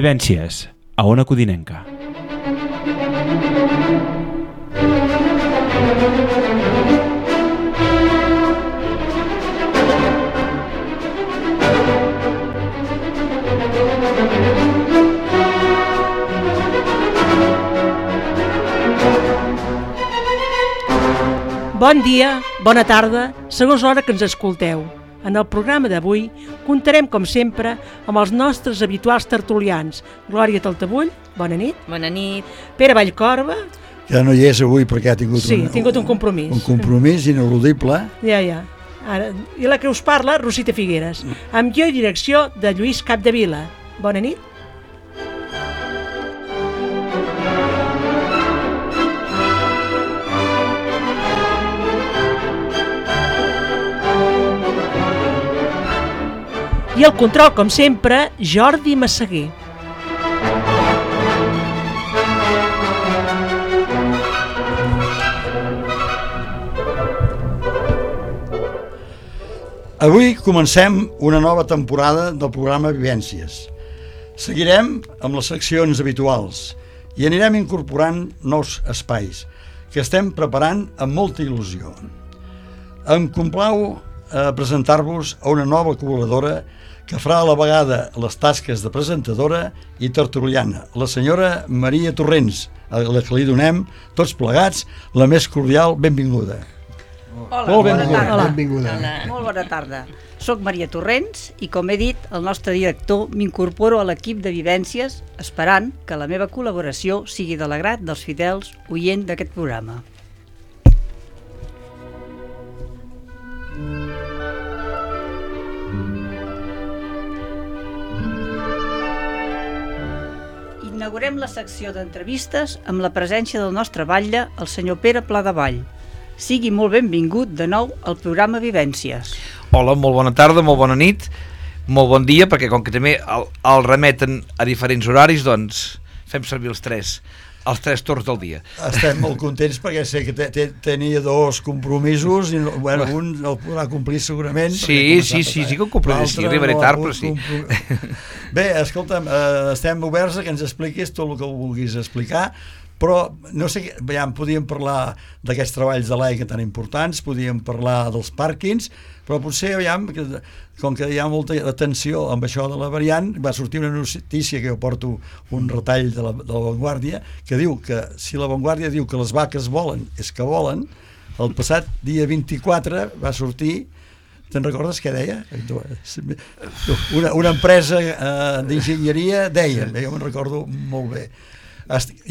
Vivències, a Ona Codinenca. Bon dia, bona tarda, segons l'hora que ens escolteu. En el programa d'avui comptarem, com sempre, amb els nostres habituals tertulians. Glòria Taltabull, bona nit. Bona nit. Pere Vallcorba. Que no hi és avui perquè ha tingut, ha tingut un compromís. Un compromís ineludible. Ja. Ara, i la que us parla, Rosita Figueres, amb guió i direcció de Lluís Capdevila. Bona nit. I el control, com sempre, Jordi Massaguer. Avui comencem una nova temporada del programa Vivències. Seguirem amb les seccions habituals i anirem incorporant nous espais que estem preparant amb molta il·lusió. Em complau presentar-vos a una nova col·laboradora que farà a la vegada les tasques de presentadora i tertuliana, la senyora Maria Torrents, a la que li donem, tots plegats, la més cordial benvinguda. Hola, Molt bona tarda. Benvinguda. Hola. Molt bona tarda. Soc Maria Torrents i, com he dit, el nostre director m'incorporo a l'equip de Vivències esperant que la meva col·laboració sigui de l'agrat dels fidels oients d'aquest programa. Inaugurem la secció d'entrevistes amb la presència del nostre batlle, el senyor Pere Pladevall. Sigui molt benvingut de nou al programa Vivències. Hola, molt bona tarda, molt bona nit, molt bon dia, perquè com que també el remeten a diferents horaris, doncs fem servir els tres torns del dia. Estem molt contents perquè sé que tenia dos compromisos i bueno, un el podrà complir segurament. Sí, que ho compraré, sí, arribaré tard, però sí. Bé, escolta'm, estem oberts a que ens expliquis tot el que vulguis explicar, però no sé, ja podíem parlar d'aquests treballs de l'AICA tan importants, podíem parlar dels pàrquings, però potser, com que hi ha molta atenció amb això de la variant, va sortir una notícia que jo porto un retall de la Vanguardia, que diu que si la Vanguardia diu que les vaques volen, és que volen. El passat dia 24 va sortir, te'n recordes què deia? Una empresa d'enginyeria deia, jo me'n recordo molt bé.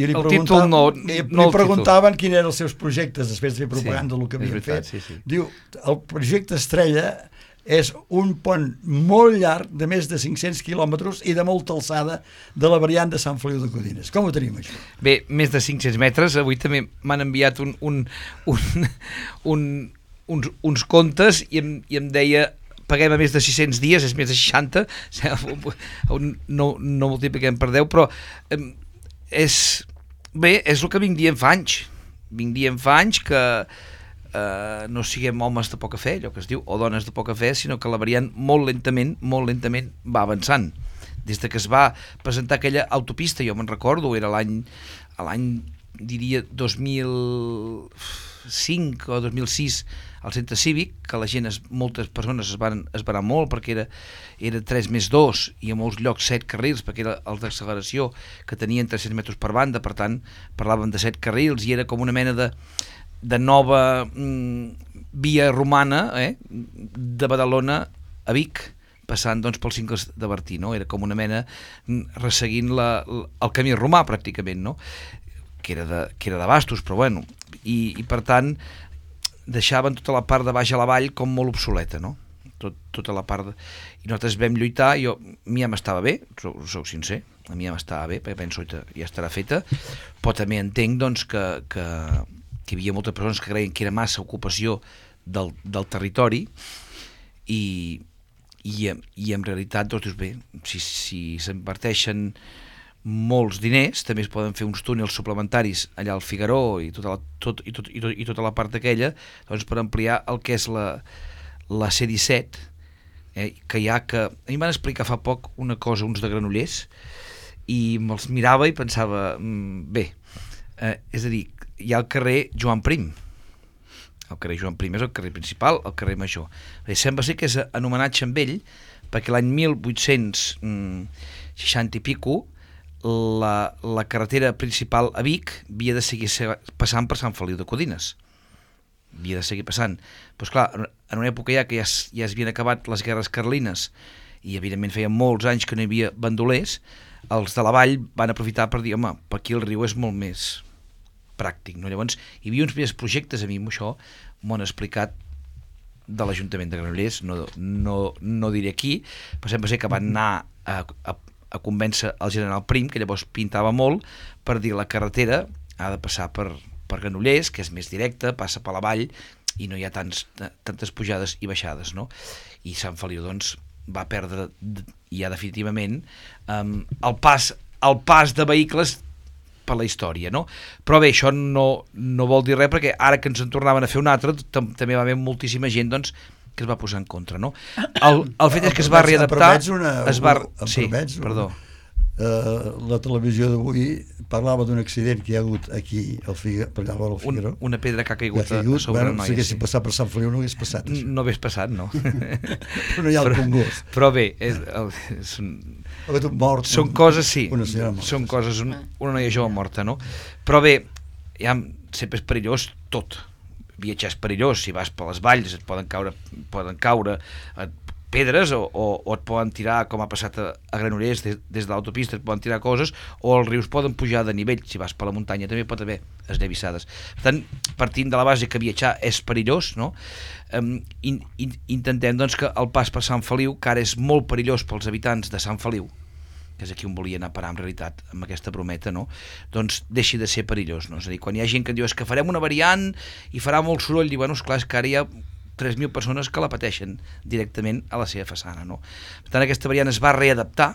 I li preguntaven quins eren els seus projectes després de fer propaganda del que havien fet. Diu, el projecte estrella és un pont molt llarg de més de 500 quilòmetres i de molta alçada de la variant de Sant Feliu de Codines. Com ho tenim, això? Bé, més de 500 metres. Avui també m'han enviat uns comptes i em deia paguem a més de 600 dies, és més de 60, no multipliquem per 10, però és el que vinc dient fa anys que no siguem homes de poca fe, allò que es diu, o dones de poca fe, sinó que la variant molt lentament va avançant. Des que es va presentar aquella autopista, jo me'n recordo, era l'any diria 2005 o 2006, al centre cívic, que la gent, moltes persones es van esverar molt perquè era 3+2 i a molts llocs 7 carrils, perquè era els d'acceleració que tenien 300 metres per banda, per tant parlaven de 7 carrils i era com una mena de nova via romana de Badalona a Vic, passant doncs pels cingles de Bertí, no? Era com una mena resseguint el camí romà pràcticament, no? que era de bastos, però bueno, i per tant deixaven tota la part de baix a la vall com molt obsoleta, no? Tota la part i nosaltres vam lluitar, a mi ja m'estava bé, soc sincer, a mi ja m'estava bé, perquè penso que ja estarà feta, però també entenc doncs que hi havia moltes persones que creien que era massa ocupació del territori i en realitat doncs dius, bé, si s'inverteixen molts diners, també es poden fer uns túnels suplementaris allà al Figaró i tota la part aquella, doncs per ampliar el que és la C-17, que hi ha que... A mi m'han explicat fa poc una cosa, uns de Granollers, i me'ls mirava i pensava, bé, és a dir, hi ha el carrer Joan Prim. El carrer Joan Prim és el carrer principal, el carrer Major. Sembla ser que és en homenatge amb ell, perquè l'any 1860 i pico la carretera principal a Vic havia de seguir passant per Sant Feliu de Codines. Havia de seguir passant. Doncs clar, en una època ja que ja s'havien acabat les guerres carlines i evidentment feia molts anys que no hi havia bandolers, els de la vall van aprofitar per dir, home, per aquí el riu és molt més pràctic, no? Llavors hi havia uns primers projectes, a mi això m'ho han explicat de l'Ajuntament de Granollers, no diré aquí, però sembla ser que van anar a convèncer el general Prim, que llavors pintava molt, per dir la carretera ha de passar per Granollers, que és més directa, passa per la vall i no hi ha tantes pujades i baixades, no? I Sant Feliu doncs va perdre ja definitivament el pas de vehicles per la història, no? Però bé, això no vol dir res, perquè ara que ens en tornaven a fer un altre també va haver moltíssima gent doncs que es va posar en contra, no? El fet és que es va readaptar... Perdó. La televisió d'avui parlava d'un accident que hi ha hagut aquí al Figueroa. Una pedra que ha caigut a sobre el noi. Si haguessin passat per Sant Feliu no hagués passat. No hagués passat, no. Però no hi ha el congost. Però bé, són coses, sí, són coses, una noia jove morta, no? Però bé, ja sempre és perillós tot. Viatjar és perillós, si vas per les valls et poden caure pedres o et poden tirar, com ha passat a Granollers, des de l'autopista et poden tirar coses, o els rius poden pujar de nivell, si vas per la muntanya també pot haver esllavissades. Per tant, partint de la base que viatjar és perillós, no? Intentem doncs que el pas per Sant Feliu, que ara és molt perillós pels habitants de Sant Feliu, que és aquí on volia anar a parar en realitat amb aquesta brometa, no? Doncs deixi de ser perillós, no? És a dir, quan hi ha gent que diu és que farem una variant i farà molt soroll, i bueno, esclar, és que ara hi ha 3.000 persones que la pateixen directament a la seva façana, no? Per tant, aquesta variant es va readaptar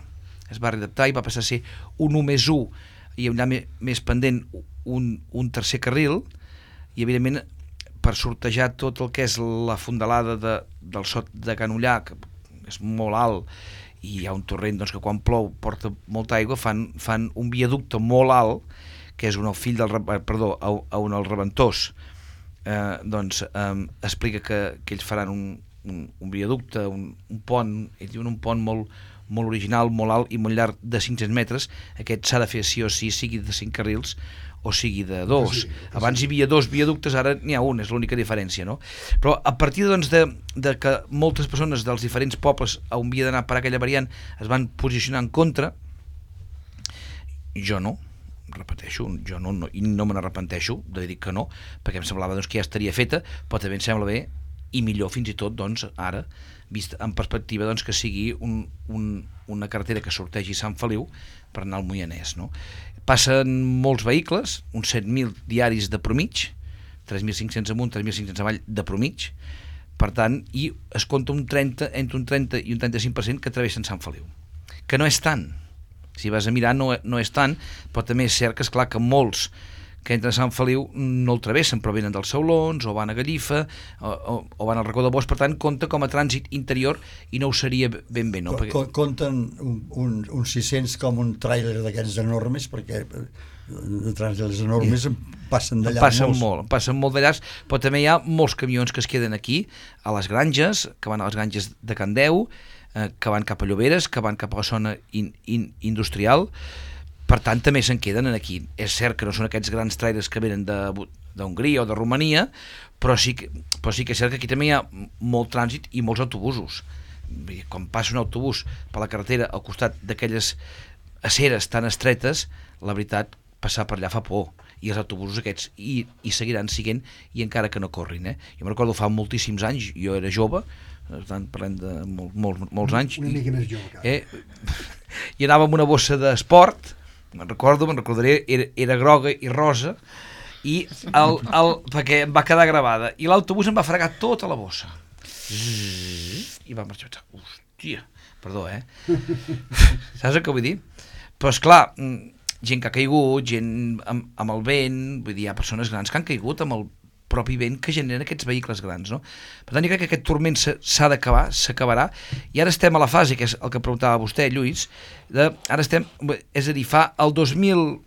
i va passar a ser un 1+1 i allà més pendent un tercer carril, i evidentment per sortejar tot el que és la fondalada del Sot de Can Ullà, que és molt alt i hi ha un torrent doncs, que quan plou porta molta aigua, fan un viaducte molt alt, que és un fill del el Reventós, doncs explica que ells faran un viaducte, un pont, ells diuen un pont molt original, molt alt i molt llarg, de 500 metres. Aquest s'ha de fer sí o sí, sigui de 5 carrils o sigui de 2. Abans hi havia 2 viaductes, ara n'hi ha un, és l'única diferència, no? Però a partir doncs, de que moltes persones dels diferents pobles on havia d'anar per aquella variant es van posicionar en contra, jo no me n'arrepenteixo de dir que no, perquè em semblava doncs, que ja estaria feta, però també em sembla bé i millor fins i tot doncs, ara, vist en perspectiva doncs, que sigui una carretera que sortegi Sant Feliu per anar al Moianès, no? Passen molts vehicles, uns 7.000 diaris de promig, 3.500 amunt, 3.500 avall de promig, per tant, i es compta entre un 30 i un 35% que travessen Sant Feliu, que no és tant. Si vas a mirar no és tant, però també és cert que és clar que molts que entren a Sant Feliu no el travessen, però venen dels Saulons o van a Gallifa o van al Racó de Bosch, per tant compta com a trànsit interior i no ho seria ben bé, no? Compten uns 600 com un tràiler d'aquests enormes, perquè trànsits enormes passen d'allà passen molt d'allà, però també hi ha molts camions que es queden aquí a les granges, que van a les granges de Can Deu, que van cap a Lloberes, que van cap a la zona industrial, per tant també se'n queden aquí. És cert que no són aquests grans trailers que venen d'Hongria o de Romania, però sí que és cert que aquí també hi ha molt trànsit i molts autobusos. Quan passa un autobús per la carretera al costat d'aquelles aceres tan estretes, la veritat, passar per allà fa por, i els autobusos aquests i seguiran siguent, i encara que no corrin, Jo me'n recordo fa moltíssims anys, jo era jove, parlem de molts anys, una mica més jove, i anava amb una bossa d'esport, me'n recordaré, era groga i rosa, i perquè em va quedar gravada, i l'autobús em va fregar tota la bossa i va marxar. Hòstia, perdó, saps el que vull dir? Però esclar, gent que ha caigut, gent amb el vent, vull dir, hi ha persones grans que han caigut però propi vent que generen aquests vehicles grans, no? Per tant, jo crec que aquest turment s'ha d'acabar, s'acabarà, i ara estem a la fase, que és el que preguntava vostè, Lluís, ara estem, és a dir, el 2009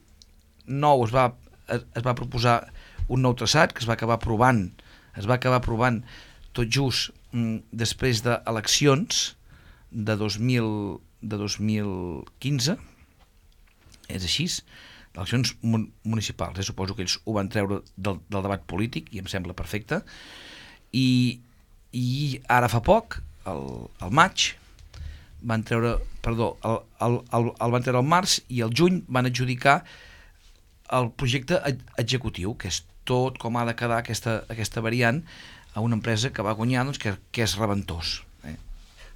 es va proposar un nou traçat que es va acabar aprovant tot just després d'eleccions de 2015, és així, eleccions municipals, suposo que ells ho van treure del debat polític i em sembla perfecte, i ara fa poc, al maig, van treure, el van treure al març, i al juny van adjudicar el projecte executiu, que és tot com ha de quedar aquesta variant, a una empresa que va guanyar, doncs, que és Reventós.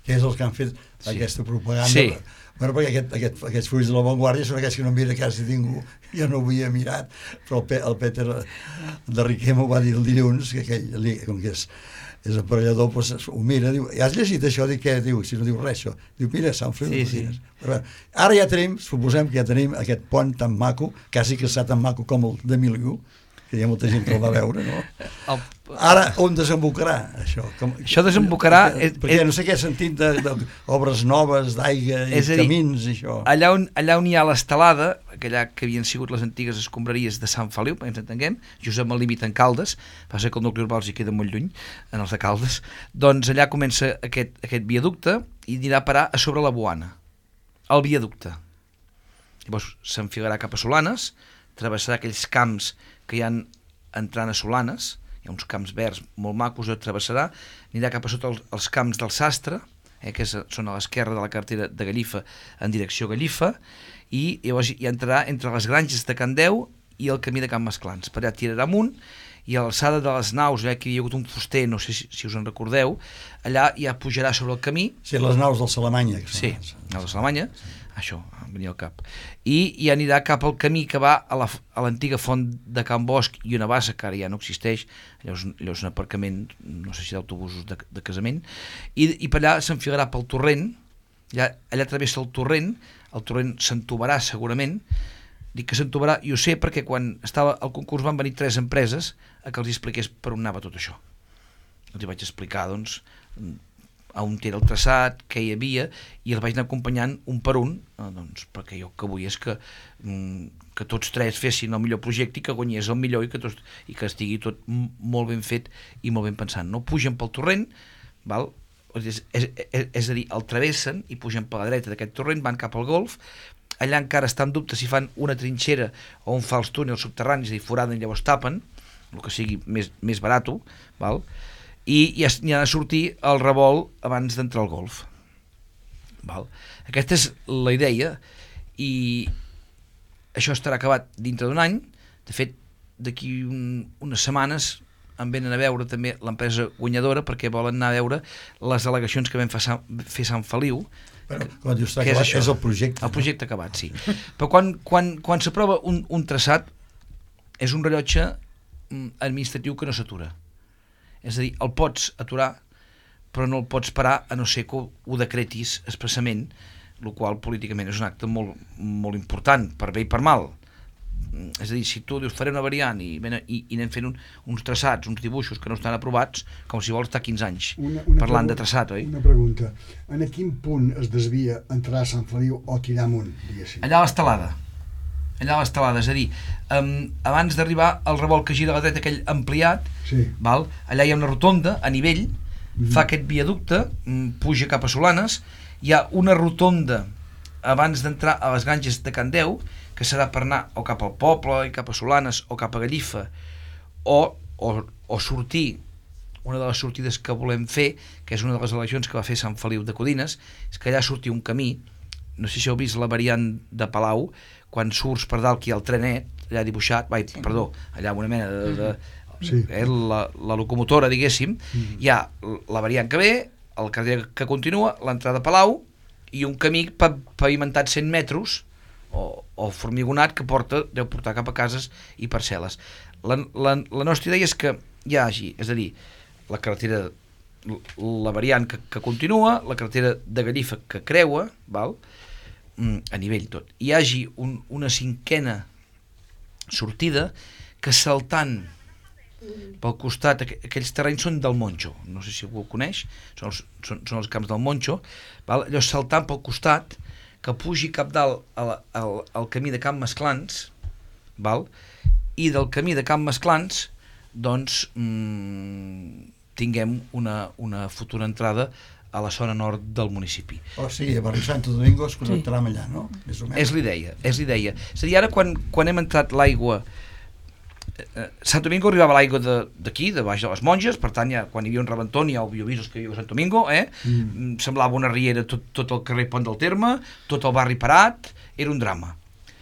Que és els que han fet aquesta propaganda. Sí. Bueno, perquè aquests fulls de La Vanguardia són aquests que no mira quasi ningú, jo no ho havia mirat, però el Peter de Riquer m'ho va dir el dilluns, que aquell, com que és aparellador, doncs ho mira, diu, has llegit això? Dic, què? Diu, si no diu res, això. Diu, mira, Sant Feliu de Codines. Però, ara ja tenim, suposem que ja tenim aquest pont tan maco, quasi que està tan maco com el de Miliu, que hi ha molta gent que el va veure, no? Ara, on desembocarà això? Això desembocarà... Perquè no sé què he sentit d'obres noves, d'aigua i camins, això. Allà on hi ha l'estelada, allà que havien sigut les antigues escombraries de Sant Feliu, ens entenguem, just amb el límit en Caldes, passa que el nucli urbà els hi queda molt lluny, en els de Caldes, doncs allà comença aquest viaducte i anirà a parar a sobre la Boana, el viaducte. Llavors s'enfilarà cap a Solanes, travessarà aquells camps que hi ha entrant a Solanes, hi ha uns camps verds molt macos, travessarà, anirà cap a sota els camps del Sastre, que són a l'esquerra de la carretera de Gallifa en direcció a Gallifa, i llavors hi entrarà entre les granges de Can Deu i el camí de Can Masclans. Per allà tirarà amunt, i a l'alçada de les naus, allà que hi ha hagut un fuster, no sé si us en recordeu, allà ja pujarà sobre el camí. Sí, les naus del Salamanya. Sí, naus del Salamanya, això, em venia al cap. I anirà cap al camí que va a l'antiga font de Can Bosch i una bassa, que ara ja no existeix, allò és un aparcament, no sé si d'autobusos de casament, i per allà s'enfilarà pel torrent, allà travessa el torrent s'entubarà segurament. Dic que s'entubarà, i ho sé perquè quan estava al concurs van venir 3 empreses a que els expliqués per on anava tot això. Els hi vaig explicar, doncs, a on era el traçat, què hi havia, i els vaig anar acompanyant un per un, doncs, perquè jo el que vull és que tots 3 fessin el millor projecte i que guanyés el millor i que estigui tot molt ben fet i molt ben pensant. No pugen pel torrent, val? És a dir, el travessen i pugen per la dreta d'aquest torrent, van cap al golf. Allà encara està en dubte si fan una trinxera o un fals túnel subterrani, és a dir, foraden i llavors tapen, el que sigui més barat, val? I ja ha de sortir el revolt abans d'entrar al golf. Val? Aquesta és la idea, i això estarà acabat dintre d'un any. De fet, d'aquí unes setmanes em venen a veure també l'empresa guanyadora, perquè volen anar a veure les al·legacions que vam fer Sant Feliu. Però, quan dius acabat, és el projecte. El projecte acabat, sí. Però quan s'aprova un traçat, és un rellotge administratiu que no s'atura. És a dir, el pots aturar, però no el pots parar a no ser que ho decretis expressament, el qual políticament és un acte molt, molt important, per bé i per mal. És a dir, si tu dius faré una variant i anem fent uns traçats, uns dibuixos que no estan aprovats, com si vols estar 15 anys parlant de traçat, oi? Una pregunta, en quin punt es desvia entrar a Sant Feliu o tirar amunt, diguéssim? Allà a l'estelada, és a dir, abans d'arribar al revolt que gira a la dreta, aquell ampliat, sí. Val? Allà hi ha una rotonda a nivell, fa aquest viaducte, puja cap a Solanes, hi ha una rotonda abans d'entrar a les granges de Can Deu, que serà per anar o cap al poble, i cap a Solanes, o cap a Gallifa, o sortir, una de les sortides que volem fer, que és una de les eleccions que va fer Sant Feliu de Codines, és que allà surti un camí, no sé si heu vist la variant de Palau, quan surts per dalt, que hi ha el trenet, allà dibuixat, allà una mena sí. La locomotora, diguéssim, hi ha la variant que ve, el carrer que continua, l'entrada a Palau, i un camí pavimentat 100 metres, o formigonat, que deu portar cap a cases i parcel·les. La nostra idea és que hi hagi, és a dir, la carretera, la variant que continua, la carretera de Gallifa que creua, val? A nivell tot, hi hagi una cinquena sortida que saltant pel costat, aquells terrenys són del Monjo, no sé si algú ho coneix, són els camps del Monjo, val? Allò saltant pel costat, que pugi cap dalt al camí de Can Mesclans, val? I del camí de Can Mesclans, doncs, tinguem una futura entrada a la zona nord del municipi. O sigui, a Barri Santo Domingo es connectarà amb allà, no? Més o menys. És l'idea. És a dir, ara quan hem entrat l'aigua, Sant Domingo arribava l'aigua d'aquí, de baix de les Monges, per tant, ja, quan hi havia un rebentó, hi havia avisos que hi havia a Sant Domingo, semblava una riera tot el carrer Pont del Terme, tot el barri parat, era un drama.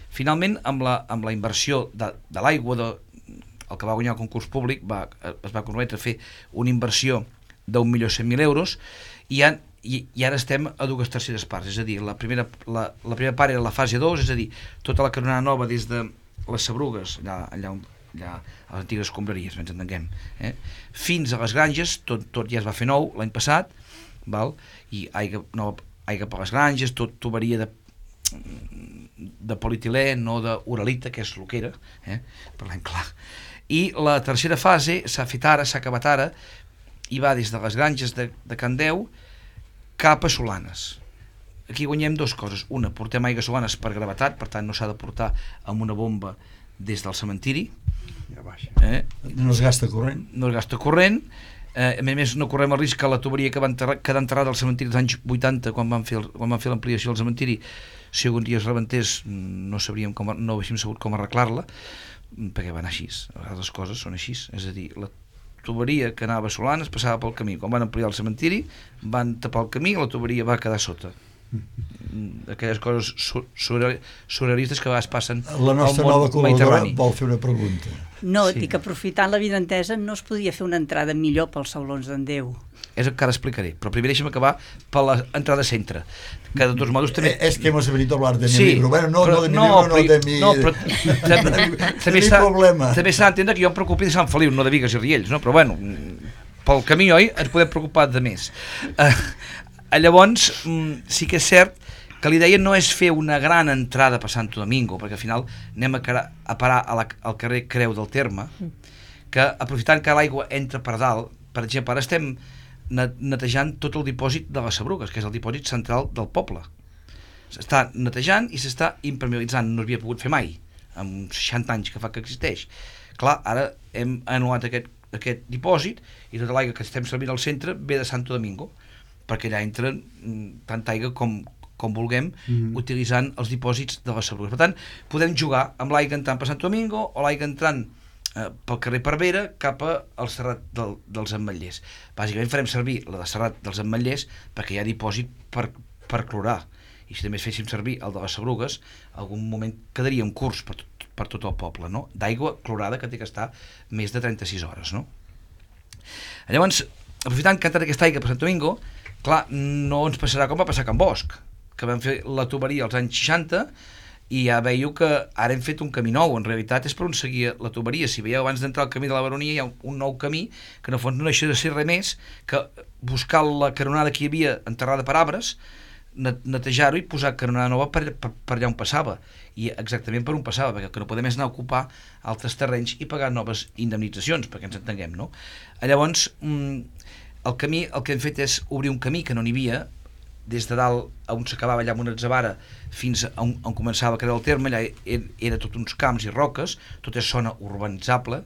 Finalment, amb la inversió de l'aigua, el que va guanyar el concurs públic, es va comprometre a fer una inversió d'1.100.000 euros, i ara estem a 2/3 parts, és a dir, la primera part era la fase 2, és a dir, tota la canonada nova des de les Sabrugues, allà a les antigues escombraries, ens entenguem, fins a les granges, tot ja es va fer nou l'any passat, val? I aigua per les granges, tot tuberia de polietilè, no d'uralita, que és el que era, parlem clar. I la tercera fase s'ha fet ara, s'ha acabat ara, i va des de les granges de Can Deu cap a Solanes. Aquí guanyem dues coses. Una, portem aigua a Solanes per gravetat, per tant no s'ha de portar amb una bomba des del cementiri. No es gasta corrent. No es gasta corrent. A més, no correm el risc que la tuberia que va quedar enterrada al cementiri dels anys 80, quan van fer l'ampliació del cementiri, si algun dia es rebentés, no haguéssim sabut com arreglar-la, perquè va anar així. A vegades les coses són així. És a dir, la tuberia que anava a Solanes passava pel camí. Quan van ampliar el cementiri, van tapar el camí i la tuberia va quedar sota. Aquelles coses surrealistes que a vegades passen al món mediterrani. La nostra nova col·laboradora vol fer una pregunta. No, dic que aprofitant la vinentesa no es podia fer una entrada millor pels saulons d'en Déu. És el que ara explicaré, però primer deixa'm acabar per l'entrada centre, que de tots modos també... Es que hemos venido a hablar de mi libro. Bueno, no de mi libro, no de mi... No, però també s'ha d'entendre que jo em preocupi de Sant Feliu, no de Bigues i Riells, no? Però bueno, pel camí, oi, ens podem preocupar de més. Llavors, sí que és cert que l'idea no és fer una gran entrada per Santo Domingo, perquè al final anem a parar al carrer Creu del Terme, que aprofitant que l'aigua entra per dalt, per exemple, ara estem netejant tot el dipòsit de les Sabrugues, que és el dipòsit central del poble. S'està netejant i s'està impermeabilitzant, no s'havia pogut fer mai, amb 60 anys que fa que existeix. Clar, ara hem anul·lat aquest dipòsit i tota l'aigua que estem servint al centre ve de Santo Domingo, perquè allà entra tanta aigua com vulguem, utilitzant els dipòsits de les Sabrugues. Per tant, podem jugar amb l'aigua entrant per Santo Domingo o l'aigua entrant pel carrer Parvera cap al Serrat dels Ametllers. Bàsicament farem servir la de Serrat dels Ametllers perquè hi ha dipòsit per clorar, i si també féssim servir el de les Sabrugues, algun moment quedaria un curs per tot el poble, no? D'aigua clorada que té que estar més de 36 hores, no? Llavors, aprofitant que ha entrat aquesta aigua per Sant Domingo, clar, no ens passarà com va passar a Can Bosch, que vam fer la tuberia als anys 60 i ja veieu que ara hem fet un camí nou. En realitat és per on seguia la tuberia. Si veieu, abans d'entrar al camí de la Baronia hi ha un nou camí que en el fons no deixa de ser res més que buscar la canonada que hi havia enterrada per arbres, netejar-ho i posar canonada nova per allà on passava, i exactament per on passava, perquè el que no podem és anar a ocupar altres terrenys i pagar noves indemnitzacions, perquè ens entenguem, no? Llavors, el camí, el que hem fet és obrir un camí que no n'hi havia, des de dalt on s'acabava allà amb una atzavara fins on començava a quedar el terme. Allà era tot uns camps i roques, tot és zona urbanitzable,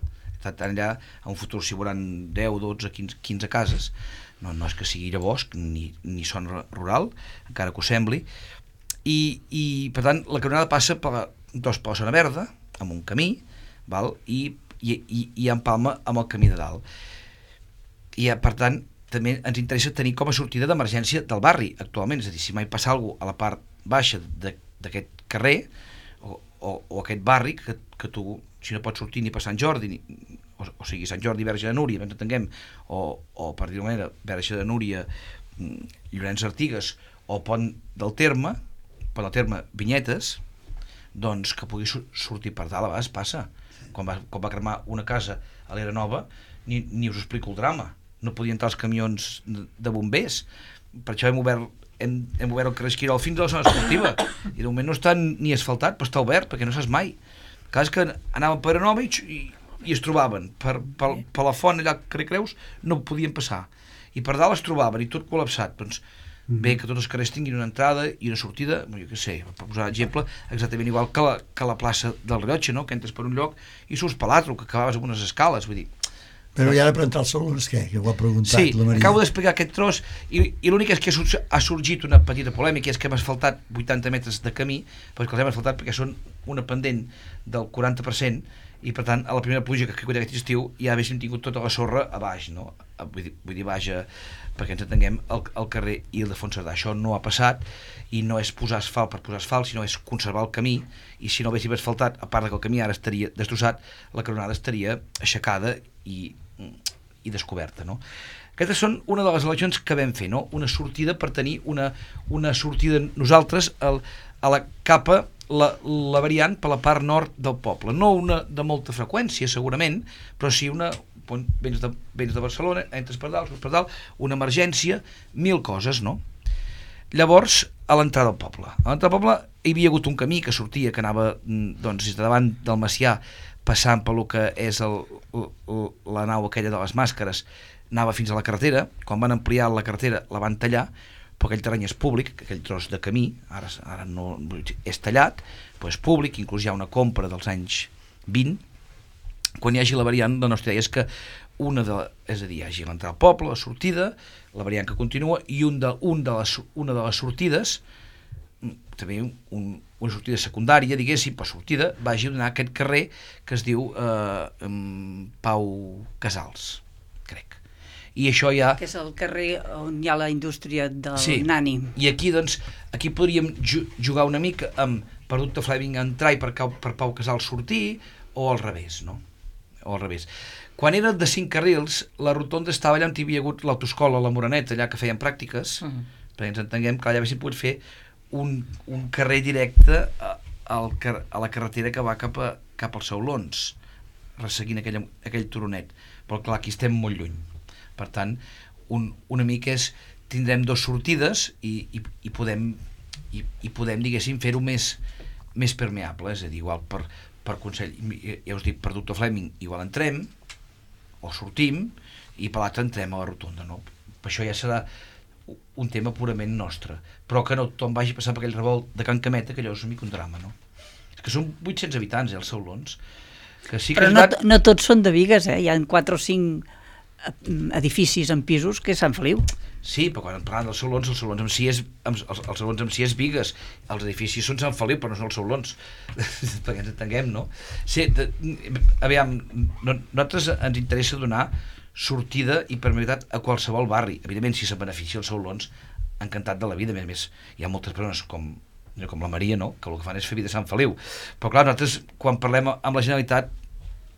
allà en un futur s'hi veuran 10, 12, 15 cases, no és que sigui bosc ni zona rural, encara que ho sembli, i per tant la canonada passa per la zona verda, amb un camí, val? I empalma amb el camí de dalt, i per tant també ens interessa tenir com a sortida d'emergència del barri actualment, és a dir, si mai passa alguna cosa a la part baixa d'aquest carrer o aquest barri, que tu, si no pots sortir ni per Sant Jordi, o sigui, Sant Jordi, Verge de Núria, ens entenguem, o per dir-ho manera, Verge de Núria, Llorenç Artigues, o Pont del Terme, Vinyetes, doncs que pugui sortir per dalt. A vegades passa. Quan va cremar una casa a l'Era Nova, ni us explico el drama. No podien entrar els camions de bombers, per això hem obert el carrer Esquirol fins a la zona esportiva, i de moment no està ni asfaltat, però està obert perquè no saps mai. Clar, és que anàvem per Nova i i es trobaven per la font allà al carrer Creus, no podien passar, i per dalt es trobaven i tot col·lapsat. Doncs bé, que tots els carrers tinguin una entrada i una sortida, jo què sé, per posar exemple, exactament igual que la plaça del Rellotge, no? Que entres per un lloc i surts per l'altre, que acabaves amb unes escales, vull dir. Però i ara per entrar als salons, què? Que ho ha preguntat sí, la Maria. acabo d'explicar aquest tros i l'únic és que ha sorgit una petita polèmica, és que hem asfaltat 80 metres de camí, perquè els hem asfaltat perquè són una pendent del 40%, i per tant a la primera pluja que ha caigut aquest estiu ja haguéssim tingut tota la sorra a baix, no? Vull dir baix, perquè ens entenguem, el carrer Ildefons Cerdà. Això no ha passat, i no és posar asfalt per posar asfalt, sinó és conservar el camí, i si no haguéssim asfaltat, a part que el camí ara estaria destrossat, la canonada estaria aixecada i descoberta, no? Aquestes són una de les eleccions que vam fer, no? Una sortida per tenir una sortida nosaltres a la capa, la variant per la part nord del poble, no una de molta freqüència segurament, però sí una, vens de Barcelona, entres per dalt, surts per dalt, una emergència, 1000 coses, no? Llavors, a l'entrada del poble hi havia hagut un camí que sortia, que anava doncs des de davant del Macià, passant per lo que és la nau aquella de les màscares, anava fins a la carretera. Quan van ampliar la carretera la van tallar, però aquell terreny és públic, aquell tros de camí ara no és tallat, però és públic, inclús hi ha una compra dels anys 20. Quan hi hagi la variant, la nostra idea és que és a dir, hi hagi l'entrada al poble, la sortida, la variant que continua, i una de les sortides, també una sortida secundària, diguéssim, per sortida, vagi a donar aquest carrer que es diu Pau Casals, crec. I això ja... Que és el carrer on hi ha la indústria del sí. Nani. I aquí, doncs, aquí podríem jugar una mica amb per Ducte Fleming entrar i per Pau Casals sortir, o al revés, no? O al revés. Quan era de 5 carrils, la rotonda estava allà on hi havia hagut l'autoescola, la Moreneta, allà que feien pràctiques, perquè ens entenguem que allà haguéssim pogut fer un carrer directe a la carretera que va cap als Saulons, resseguint aquell turonet. Però clar, aquí estem molt lluny. Per tant, una mica és, tindrem 2 sortides i podem, diguéssim, fer-ho més permeable, és a dir, igual per Consell, ja us dic, per Ducte Fleming igual entrem o sortim, i per l'altre entrem a la rotonda, no? Per això ja serà un tema purament nostre, però que no tothom vagi passant per aquell revolt de Can Cameta, que allò és una mica un drama, no? És que són 800 habitants, els Saulons, que sí que però no tots són de Bigues, hi ha 4 o 5 edificis en pisos que és Sant Feliu. Sí, però quan parlem dels Saulons, els Saulons en si és Bigues, els edificis són Sant Feliu, però no són els Saulons, perquè ens entenguem, no? Sí, aviam, nosaltres ens interessa donar sortida i permeabilitat a qualsevol barri. Evidentment, si se'n beneficia els Saulons, encantat de la vida. A més, hi ha moltes persones com la Maria, no?, que el que fan és fer vida a Sant Feliu. Però clar, nosaltres, quan parlem amb la Generalitat,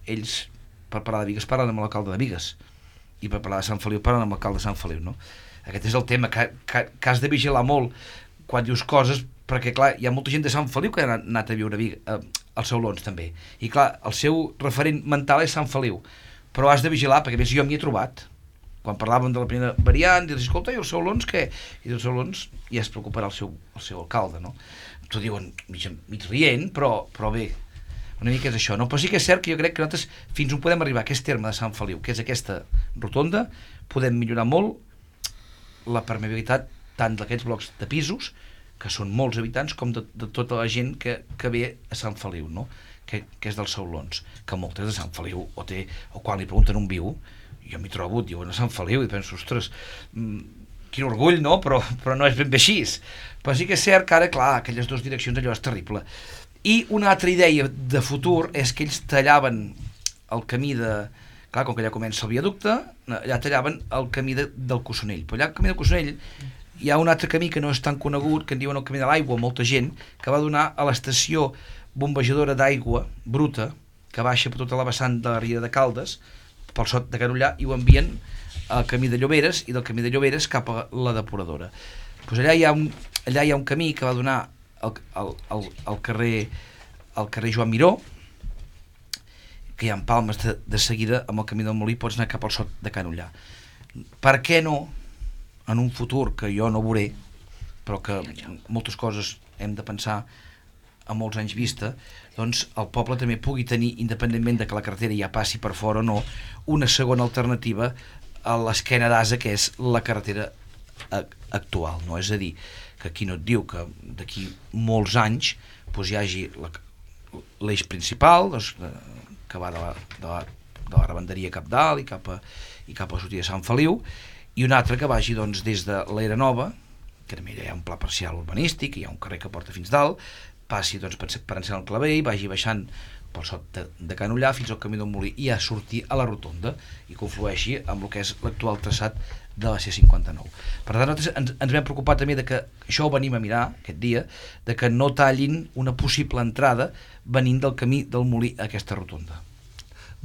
ells, per parlar de Bigues, parlen amb l'alcalde de Bigues, i per parlar de Sant Feliu parlen amb l'alcalde de Sant Feliu, no? Aquest és el tema, que has de vigilar molt quan dius coses, perquè clar, hi ha molta gent de Sant Feliu que ha anat a viure als Saulons també, i clar, el seu referent mental és Sant Feliu, però has de vigilar, perquè a més jo m'hi he trobat quan parlàvem de la primera variant, i dius, escolta, i els Saulons què? I els Saulons ja es preocuparà el seu alcalde, no? T'ho diuen mig rient, però bé, una mica és això, no? Però sí que és cert que jo crec que nosaltres fins on podem arribar a aquest terme de Sant Feliu, que és aquesta rotonda, podem millorar molt la permeabilitat tant d'aquests blocs de pisos, que són molts habitants, com de tota la gent que ve a Sant Feliu, no? Que és dels Saulons, que moltes de Sant Feliu o quan li pregunten on viu, jo m'hi trobo, diuen a Sant Feliu, i penso, ostres, quin orgull, no? Però no és ben bé així. Però sí que és cert que ara, clar, aquelles 2 direccions, allò és terrible. I una altra idea de futur és que ells tallaven el camí clar, com que allà comença el viaducte, allà tallaven el camí del Cossonell. Però allà al camí del Cossonell hi ha un altre camí que no és tan conegut, que en diuen el camí de l'aigua, molta gent, que va donar a l'estació bombejadora d'aigua bruta, que baixa per tota la vessant de la Riera de Caldes, pel sot de Canollà, i ho envien al camí de Lloberes, i del camí de Lloberes cap a la depuradora. Pues allà hi ha un camí que va donar al carrer Joan Miró, que hi ha empalmes de seguida amb el camí del Molí, pots anar cap al sot de Canollà. Per què no, en un futur que jo no veuré, però que moltes coses hem de pensar a molts anys vista, doncs el poble també pugui tenir, independentment de que la carretera ja passi per fora o no, una segona alternativa a l'esquena d'Asa, que és la carretera actual, no? És a dir, que aquí no et diu que d'aquí molts anys doncs hi hagi l'eix principal, doncs, que va de la Rebenderia cap dalt i cap a la sortida de Sant Feliu, i un altre que vagi doncs, des de l'Era Nova, que també hi ha un pla parcial urbanístic, hi ha un carrer que porta fins dalt, passi doncs, per Encén el Clavell, vagi baixant pel sot de Can Ullà fins al camí del Molí i a sortir a la rotonda i conflueixi amb el que és l'actual traçat de la C59. Per tant, nosaltres ens vam preocupar també de que això ho venim a mirar aquest dia, de que no tallin una possible entrada venint del camí del Molí a aquesta rotonda.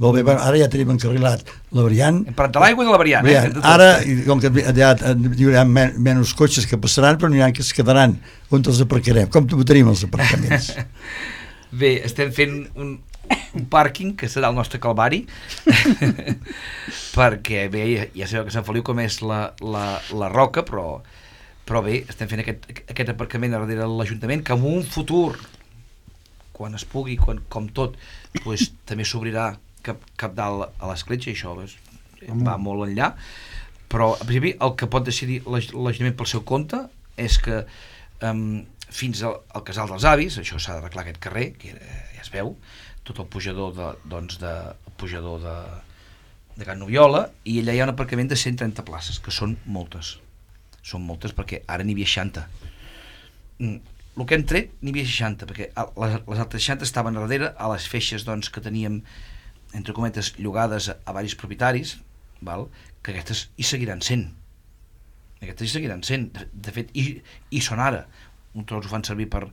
Molt bé, ara ja tenim encarrilat la variant. Hem parlat de l'aigua i de la variant. Ara, com que ja hi haurà menys cotxes que passaran, però n'hi ha que es quedaran. On els aparcarem? Com tenim els aparcaments? Bé, estem fent un pàrquing que serà el nostre calvari perquè bé, ja sabeu que Sant Feliu com és la roca, però bé, estem fent aquest aparcament darrere l'Ajuntament, que en un futur, quan es pugui, com tot, doncs, també s'obrirà cap dalt a l'escletxa, i això va molt enllà, però en principi el que pot decidir l'Ajuntament pel seu compte és que fins al Casal dels Avis, això s'ha d'arreglar aquest carrer, que ja es veu, tot el pujador de Can Noviola, i allà hi ha un aparcament de 130 places, que són moltes perquè ara n'hi havia 60. El que hem tret n'hi havia 60, perquè les altres 60 estaven darrere a les feixes doncs, que teníem, entre cometes, llogades a varis propietaris, val? Que aquestes hi seguiran sent. De fet, hi són ara. Un tros ho fan servir per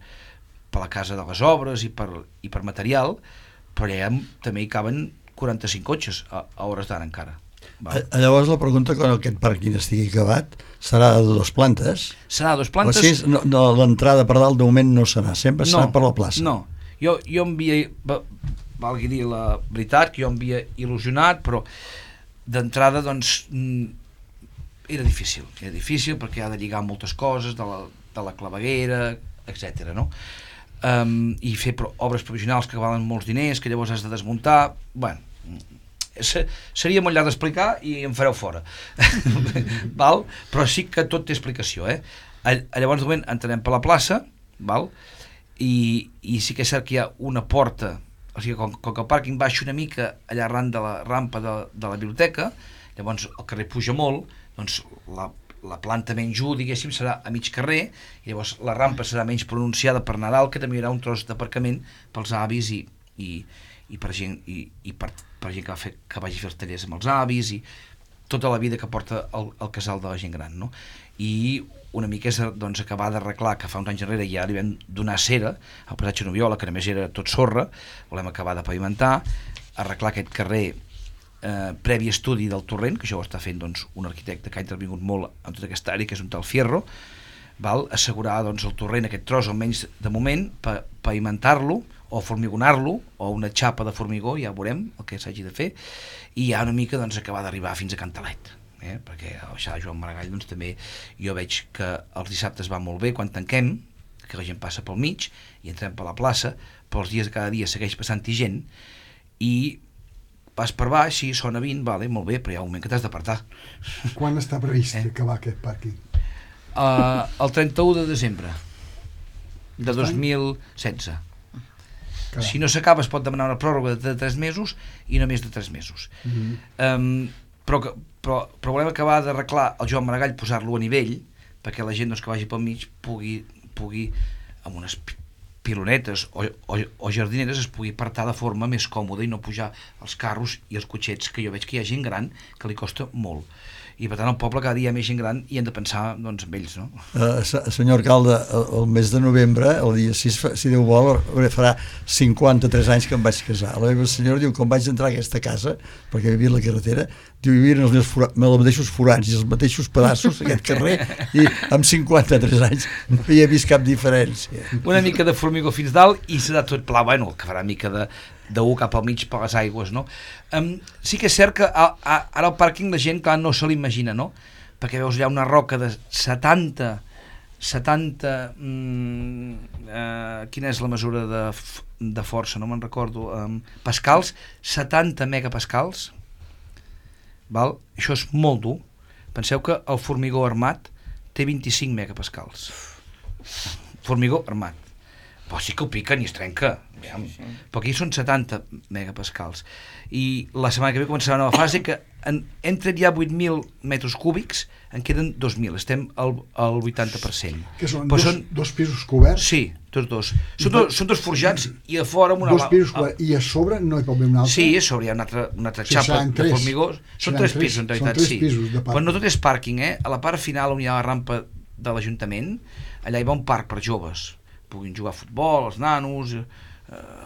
la casa de les obres i per material, però allà també hi caben 45 cotxes a hores d'ara encara. Llavors la pregunta, quan aquest pàrquing estigui acabat, serà de 2 plantes? Serà de 2 plantes. O sigui, l'entrada per dalt de moment no serà, sempre serà per la plaça. No, jo em havia, valgui dir la veritat, que jo em havia il·lusionat, però d'entrada doncs era difícil perquè ha de lligar moltes coses de la claveguera, etc. No? I fer obres provisionals que valen molts diners, que llavors has de desmuntar. Bueno, seria molt llarg d'explicar i em fareu fora. Val? Però sí que tot té explicació. Llavors, de moment, entrarem per la plaça, val? I sí que és cert que hi ha una porta, o sigui, com que el pàrquing baixa una mica allà arran de la rampa de la biblioteca, llavors el carrer puja molt, doncs la planta menys 1, diguéssim, serà a mig carrer, i llavors la rampa serà menys pronunciada per Nadal, que també hi haurà un tros d'aparcament pels avis i per gent que vagi a fer els tallers amb els avis i tota la vida que porta el casal de la gent gran, no? I una mica és doncs, acabar d'arreglar, que fa uns anys enrere ja li vam donar cera al passatge Noviola, que només era tot sorra, volem acabar de pavimentar, arreglar aquest carrer previ estudi del torrent, que això ho està fent doncs, un arquitecte que ha intervingut molt en tota aquesta àrea, que és un tal Fierro, val? Assegurar doncs, el torrent, aquest tros, almenys de moment, pavimentar-lo o formigonar-lo, o una xapa de formigó, ja veurem el que s'hagi de fer, i ja una mica doncs, acabar d'arribar fins a Cantalet, perquè a baixar Joan Maragall doncs, també jo veig que els dissabtes va molt bé quan tanquem, que la gent passa pel mig i entrem per la plaça, però els dies de cada dia segueix passant-hi gent, i vas per baix, sí, sona 20, vale, molt bé, però hi ha un moment que t'has d'apartar. Quan està previst acabar aquest pàrquing? El 31 de desembre de 2016. Caram. Si no s'acaba es pot demanar una pròrroga de 3 mesos i no més de 3 mesos. Però volem acabar d'arreglar el Joan Maragall, posar-lo a nivell, perquè la gent doncs, que vagi pel mig pugui amb unes pilonetes o jardineres es pugui apartar de forma més còmoda i no pujar els carros i els cotxets, que jo veig que hi ha gent gran que li costa molt. I per tant al poble cada dia hi ha més gent gran i hem de pensar doncs, en ells, no? Senyor alcalde, el mes de novembre, el dia 6, si Déu vol, farà 53 anys que em vaig casar. La meva senyora diu, quan vaig entrar a aquesta casa, perquè vivia a la carretera, diu, hi havia els mateixos forats i els mateixos pedaços aquest carrer, i amb 53 anys no hi he vist cap diferència. Una mica de formigó fins dalt i serà tot pla, bueno, que farà mica de cap al mig per les aigües, no? Sí que és cert que ara el pàrquing la gent, clar, no se l'imagina, no? Perquè veus allà una roca de 70 70... quina és la mesura de força? No me'n recordo. Pascals, 70 megapascals. Val? Això és molt dur. Penseu que el formigó armat té 25 megapascals. Formigó armat. Però sí que ho piquen i es trenca. Però aquí són 70 megapascals. I la setmana que ve començarà una nova fase que hem tret ja 8.000 metres cúbics, en queden 2.000, estem al 80%. Que són però dos pisos coberts? Sí, tots dos. Són dos forjats i a fora amb una... Dos pisos coberts, i a sobre no hi pot haver un altre? Sí, a sobre hi ha una altra xapa de formigó. Són tres pisos, en realitat, sí. Però no tot és pàrquing, A la part final, on hi ha la rampa de l'Ajuntament, allà hi va un parc per joves. Puguin jugar a futbol, els nanos,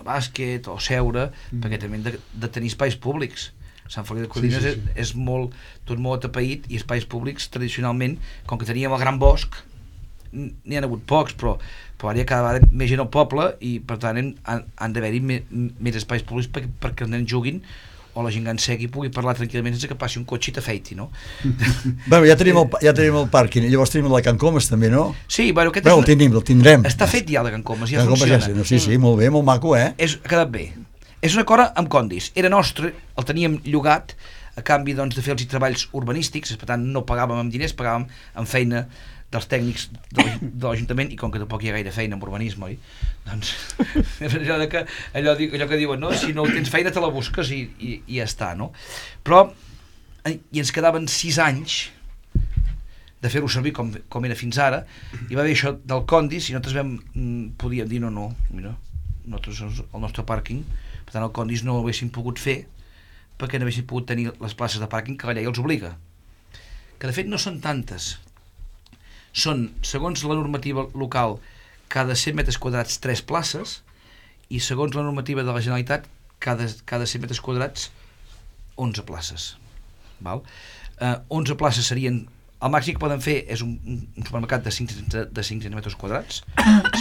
bàsquet o seure, perquè també hem de tenir espais públics. Sant Feliu de Codines és tot molt atapeït, i espais públics tradicionalment, com que teníem el gran bosc, n'hi ha hagut pocs, però ara hi ha cada vegada més gent al poble i per tant han d'haver-hi més espais públics perquè els nens juguin o la gent que segui pugui parlar tranquil·lament sense que passi un cotxe i t'afeiti, no? Bueno, ja tenim el pàrquing, llavors tenim el de Can Comas també, no? Sí, bueno, aquest el tindrem. Està fet ja el de Can Comas, ja Can funciona. Comas, sí, molt bé, molt maco, Ha quedat bé. És un acord amb Condis, era nostre, el teníem llogat a canvi doncs, de fer els treballs urbanístics, per tant no pagàvem amb diners, pagàvem amb feina dels tècnics de l'Ajuntament, i com que tampoc hi ha gaire feina en urbanisme, oi? Doncs allò que diuen, no? Si no tens feina te la busques i ja està, no? Però i ens quedaven 6 anys de fer-ho servir com era fins ara, i va haver això del Condis i nosaltres podíem dir no, mira, nosaltres el nostre pàrquing, per tant el Condis no ho haguéssim pogut fer perquè no haguéssim pogut tenir les places de pàrquing que la llei els obliga, que de fet no són tantes. Són, segons la normativa local, cada 100 metres quadrats 3 places, i segons la normativa de la Generalitat, cada 100 metres quadrats 11 places. Val? 11 places serien... El màxim que poden fer és un supermercat de 500 metres quadrats,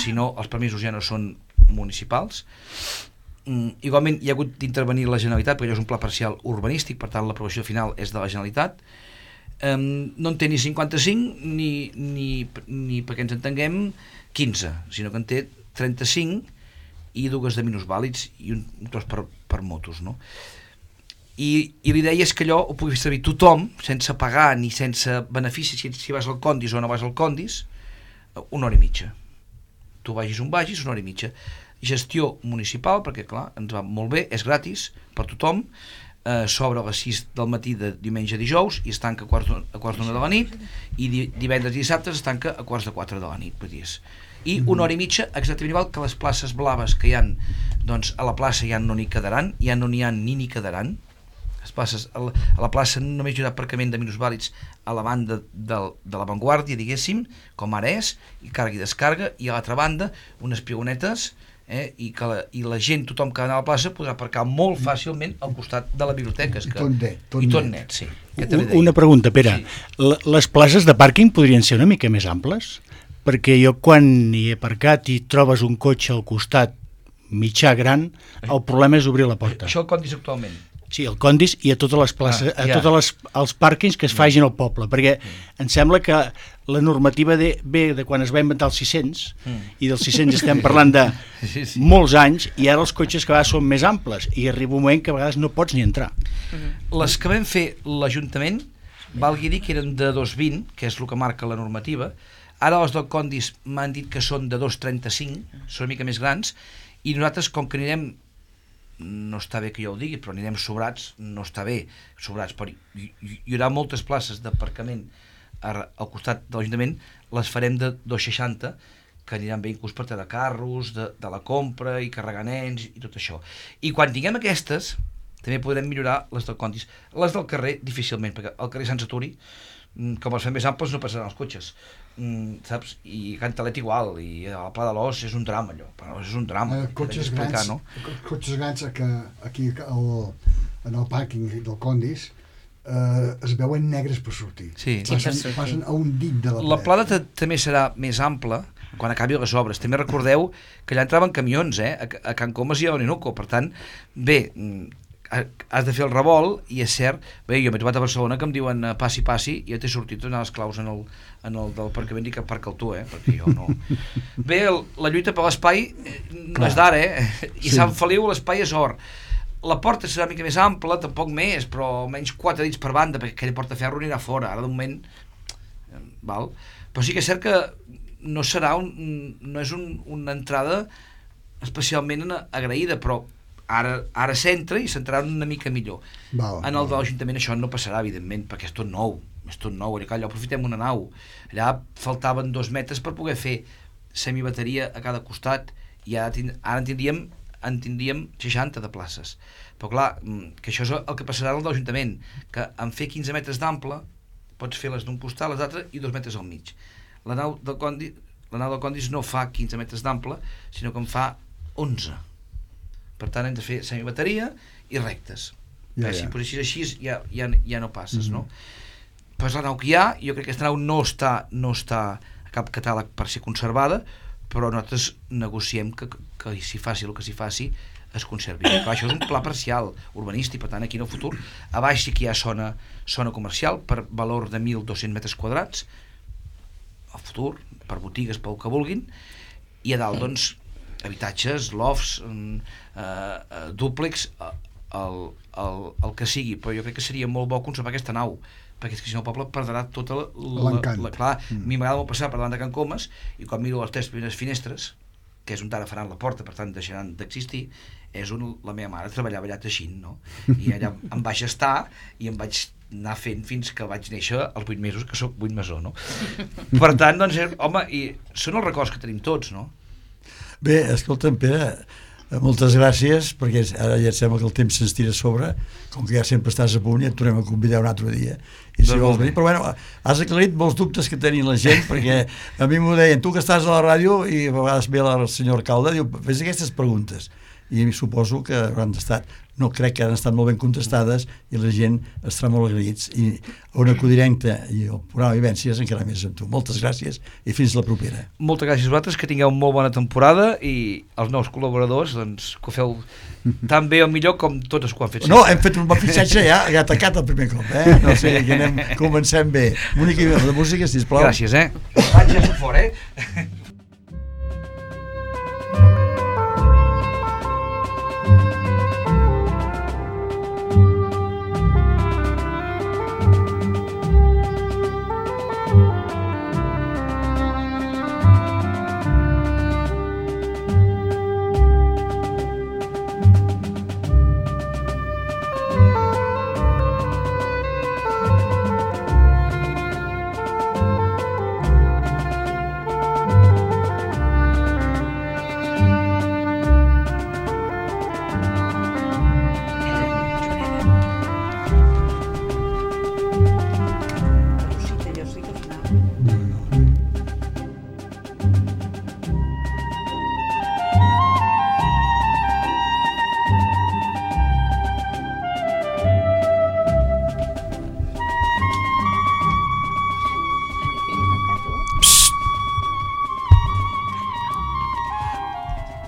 si no els permisos ja no són municipals. Igualment hi ha hagut d'intervenir la Generalitat, perquè allò és un pla parcial urbanístic, per tant l'aprovació final és de la Generalitat. No en té ni 55 ni perquè ens entenguem 15, sinó que en té 35 i 2 de minusvàlids i un tros per motos, no? I l'idea és que allò ho pugui fer servir tothom sense pagar ni sense benefici, si vas al Condis o no vas al Condis, 1 hora i mitja. Tu vagis on vagis, 1 hora i mitja. Gestió municipal, perquè clar, ens va molt bé, és gratis per tothom, s'obre a les 6 del matí de diumenge a dijous i es tanca a quarts d'1 de la nit, i divendres i dissabtes es tanca a quarts de 4 de la nit, i 1 hora i mitja exactament igual que les places blaves que hi ha, doncs a la plaça ja no n'hi quedaran, ja no n'hi ha ni quedaran. Les places, a la plaça només hi haurà aparcament de minusvàlids a la banda de l'avantguàrdia, diguéssim, com ara és, i càrrega i descarga, i a l'altra banda unes pionetes, i la gent, tothom que va anar a la plaça podrà aparcar molt fàcilment al costat de la biblioteca. Tot net, sí. Una pregunta, Pere. Sí. Les places de pàrquing podrien ser una mica més amples? Perquè jo quan hi he aparcat i trobes un cotxe al costat mitjà gran, el problema és obrir la porta. Això el Condis actualment. Sí, el Condis i a totes les places, els pàrquings que es facin al poble, perquè em sembla que la normativa ve de quan es va inventar el 600, i dels 600 estem parlant de molts anys, i ara els cotxes cada vegada són més amples, i arriba un moment que a vegades no pots ni entrar. Les que vam fer l'Ajuntament, valgui dir que eren de 2,20, que és el que marca la normativa. Ara els del Condis m'han dit que són de 2,35, són una mica més grans, i nosaltres, com que anirem, no està bé que jo ho digui, però anirem sobrats, no està bé, sobrats, però hi haurà moltes places d'aparcament al costat de l'Ajuntament, les farem de 2,60, que aniran bé inclús per treure carros, de la compra i carregar nens i tot això. I quan tinguem aquestes, també podrem millorar les del Condis. Les del carrer, difícilment, perquè al carrer Sant Saturi, com els fem més amples, no passaran els cotxes. Saps? I Cantalet igual, i el Pla de l'Os és un drama, allò. Però és un drama. Cotxes grans que aquí en el pàrquing del Condis es veuen negres per sortir. Sí. Passen a un dit de la paret. La plana també serà més ampla quan acabi les obres. També recordeu que allà entraven camions, a Can Comas i a Orinoco. Per tant, bé, has de fer el revolt, i és cert, bé, jo m'he trobat a Barcelona que em diuen passi, i ja t'he sortit a donar les claus en el del aparcament i que aparca el tu, perquè jo no. Bé, la lluita per l'espai no és d'ara, i Sant Feliu l'espai és or. La porta serà una mica més ampla, tampoc més, però almenys 4 dits per banda, perquè aquella porta de ferro anirà fora, ara de moment, val? Però sí que és cert que no és una entrada especialment agraïda, però ara s'entra i s'entrarà una mica millor. En el de l'Ajuntament això no passarà, evidentment, perquè és tot nou, allò aprofitem una nau. Allà faltaven 2 metres per poder fer semibateria a cada costat, i ara en tindríem 60 de places. Però clar, que això és el que passarà al de l'Ajuntament, que en fer 15 metres d'ample pots fer les d'un costat, les d'altres, i 2 metres al mig. La nau del Condis no fa 15 metres d'ample, sinó que en fa 11. Per tant, hem de fer semibateria i rectes. Si posessis així ja no passes, no? Però és la nau que hi ha, jo crec que aquesta nau no està a cap catàleg per ser conservada, però nosaltres negociem que s'hi faci el que s'hi faci es conservi. Clar, això és un pla parcial urbanístic, per tant, aquí en el futur, a baix sí que hi ha zona comercial per valor de 1.200 metres quadrats, al futur, per botigues, pel que vulguin, i a dalt, doncs, habitatges, lofts, dúplex, el que sigui, però jo crec que seria molt bo conservar aquesta nau, perquè és que si no el poble perdrà tota l'encant. Clar, a mi m'agrada molt passar per davant de Can Comas, i quan miro les 3 primeres finestres, que és on ara faran la porta, per tant deixaran d'existir, és on la meva mare treballava allà teixint, no? I allà em vaig estar i em vaig anar fent fins que vaig néixer als 8 mesos, que sóc 8 masó, no? Per tant, doncs, home, i són els records que tenim tots, no? Bé, escolta'm, Pere, moltes gràcies, perquè ara ja et sembla que el temps se'ns tira a sobre, com que ja sempre estàs a punt i et tornem a convidar un altre dia. I si vols venir, però bueno, has aclarit molts dubtes que tenia la gent, perquè a mi m'ho deien, tu que estàs a la ràdio, i a vegades ve el senyor alcalde, diu, fes aquestes preguntes, i suposo que hauran estat, no crec que han estat molt ben contestades, i la gent estarà molt agraïts, i Ona Codinenca i el programa Vivències encara més amb tu. Moltes gràcies i fins la propera. Moltes gràcies a vosaltres, que tingueu molt bona temporada, i els nous col·laboradors, doncs, que ho feu tan bé o millor com tots els que ho han fet. No, hem fet un bon fitxatge ja atacat el primer cop, no sé, que comencem bé. Mónica, de música, sisplau. Gràcies, vaig ja fora,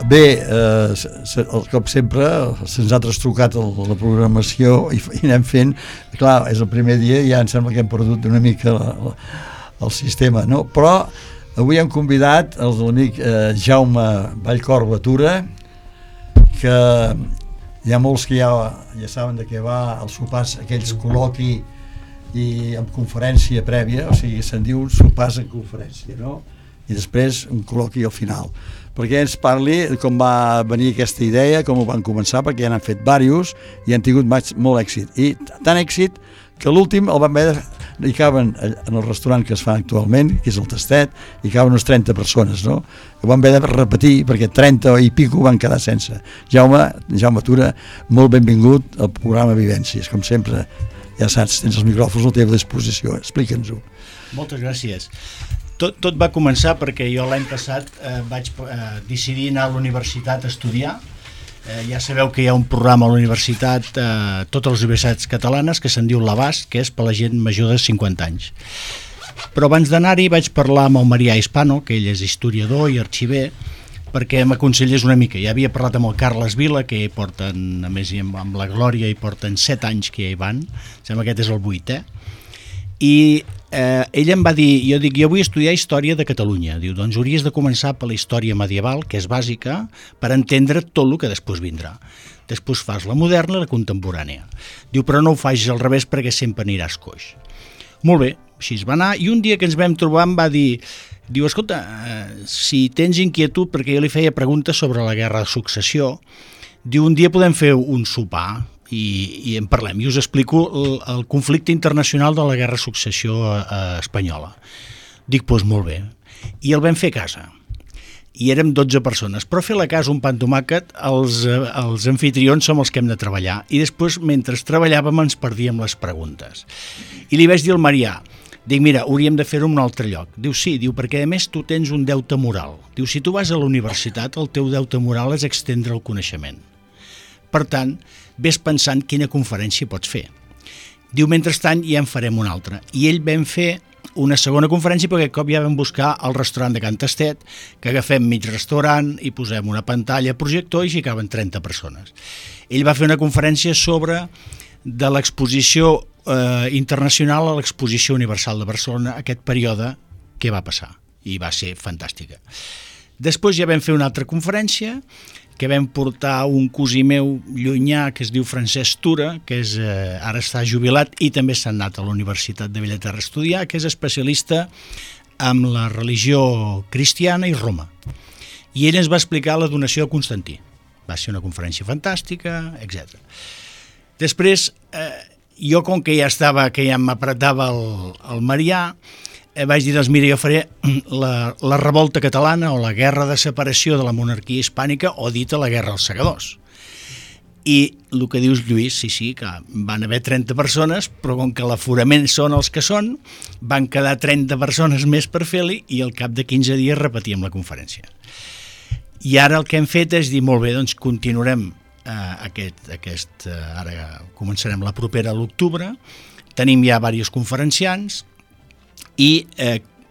Bé, com sempre, se'ns ha trastocat la programació i anem fent. Clar, és el primer dia i ja em sembla que hem perdut una mica el sistema, no? Però avui hem convidat l'amic Jaume Vallcor Batura, que hi ha molts que ja saben de què va el sopars, aquells col·loqui i amb conferència prèvia, o sigui, se'n diu sopars en conferència, no? I després un col·loqui al final, perquè ens parli com va venir aquesta idea, com ho van començar, perquè ja n'han fet diversos i han tingut molt èxit, i tant èxit que l'últim el van haver hi caben en el restaurant que es fa actualment, que és el Tastet, hi caben unes 30 persones, no? Ho van haver de repetir perquè 30 i pico van quedar sense. Jaume Tura, molt benvingut al programa Vivències, com sempre, ja saps, tens els micròfons a la teva disposició, explica'ns-ho. Moltes gràcies. Tot va començar perquè jo l'any passat vaig decidir anar a la universitat a estudiar. Ja sabeu que hi ha un programa a la universitat, totes les universitats catalanes, que se'n diu l'Abast, que és per la gent major de 50 anys. Però abans d'anar-hi vaig parlar amb el Marià Hispano, que ell és historiador i arxiver, perquè m'aconsellés una mica. Ja havia parlat amb el Carles Vila, que hi porten, a més amb la Glòria, hi porten 7 anys que hi van, sembla que aquest és el 8è, i ell em va dir, jo vull estudiar història de Catalunya. Diu, doncs hauries de començar per la història medieval, que és bàsica, per entendre tot el que després vindrà. Després fas la moderna i la contemporània. Diu, però no ho facis al revés perquè sempre aniràs coix. Molt bé, així es va anar, i un dia que ens vam trobar em va dir, diu, escolta, si tens inquietud, perquè jo li feia preguntes sobre la guerra de successió, diu, un dia podem fer un sopar i en parlem, i us explico el conflicte internacional de la guerra de successió espanyola. Dic, doncs molt bé. I el vam fer a casa. I érem 12 persones, però fer la casa un pa amb tomàquet, els anfitrions som els que hem de treballar, i després, mentre treballàvem, ens perdíem les preguntes. I li vaig dir al Marià, dic, mira, hauríem de fer-ho en un altre lloc. Diu, sí, diu, perquè a més tu tens un deute moral. Diu, si tu vas a la universitat, el teu deute moral és extendre el coneixement. Per tant, ves pensant quina conferència pots fer. Diu, mentrestant ja en farem una altra. I ell vam fer una segona conferència, perquè aquest cop ja vam buscar el restaurant de Can Tastet, que agafem mig restaurant i posem una pantalla, projector, i hi caben 30 persones. Ell va fer una conferència sobre de l'exposició internacional a l'exposició universal de Barcelona, aquest període que va passar, i va ser fantàstica. Després ja vam fer una altra conferència, que vam portar un cosí meu llunyà que es diu Francesc Tura, que ara està jubilat i també s'ha anat a la Universitat de Bellaterra a estudiar, que és especialista en la religió cristiana i Roma. I ell ens va explicar la donació de Constantí. Va ser una conferència fantàstica, etc. Després, jo com que ja m'apretava el Marià, vaig dir, doncs mira, jo faré la revolta catalana o la guerra de separació de la monarquia hispànica, o dita la guerra dels segadors. I el que dius, Lluís, sí, que van haver 30 persones, però com que l'aforament són els que són, van quedar 30 persones més per fer-li i al cap de 15 dies repetíem la conferència. I ara el que hem fet és dir, molt bé, doncs continuarem ara començarem la propera a l'octubre, tenim ja diversos conferenciants, i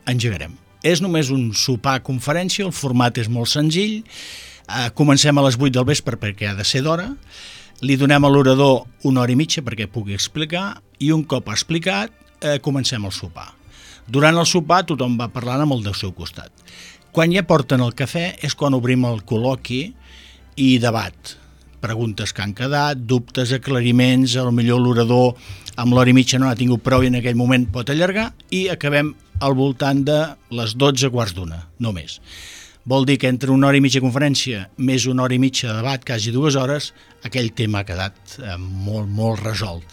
engegarem. És només un sopar conferència, el format és molt senzill, comencem a les 8 del vespre perquè ha de ser d'hora, li donem a l'orador 1 hora i mitja perquè pugui explicar, i un cop ha explicat comencem el sopar. Durant el sopar tothom va parlant amb el del seu costat. Quan ja porten el cafè és quan obrim el col·loqui i debat, preguntes que han quedat, dubtes, aclariments, potser l'orador amb l'hora i mitja no ha tingut prou i en aquell moment pot allargar, i acabem al voltant de les 12:15, no més. Vol dir que entre 1 hora i mitja de conferència més 1 hora i mitja de debat, quasi 2 hores, aquell tema ha quedat molt, molt resolt.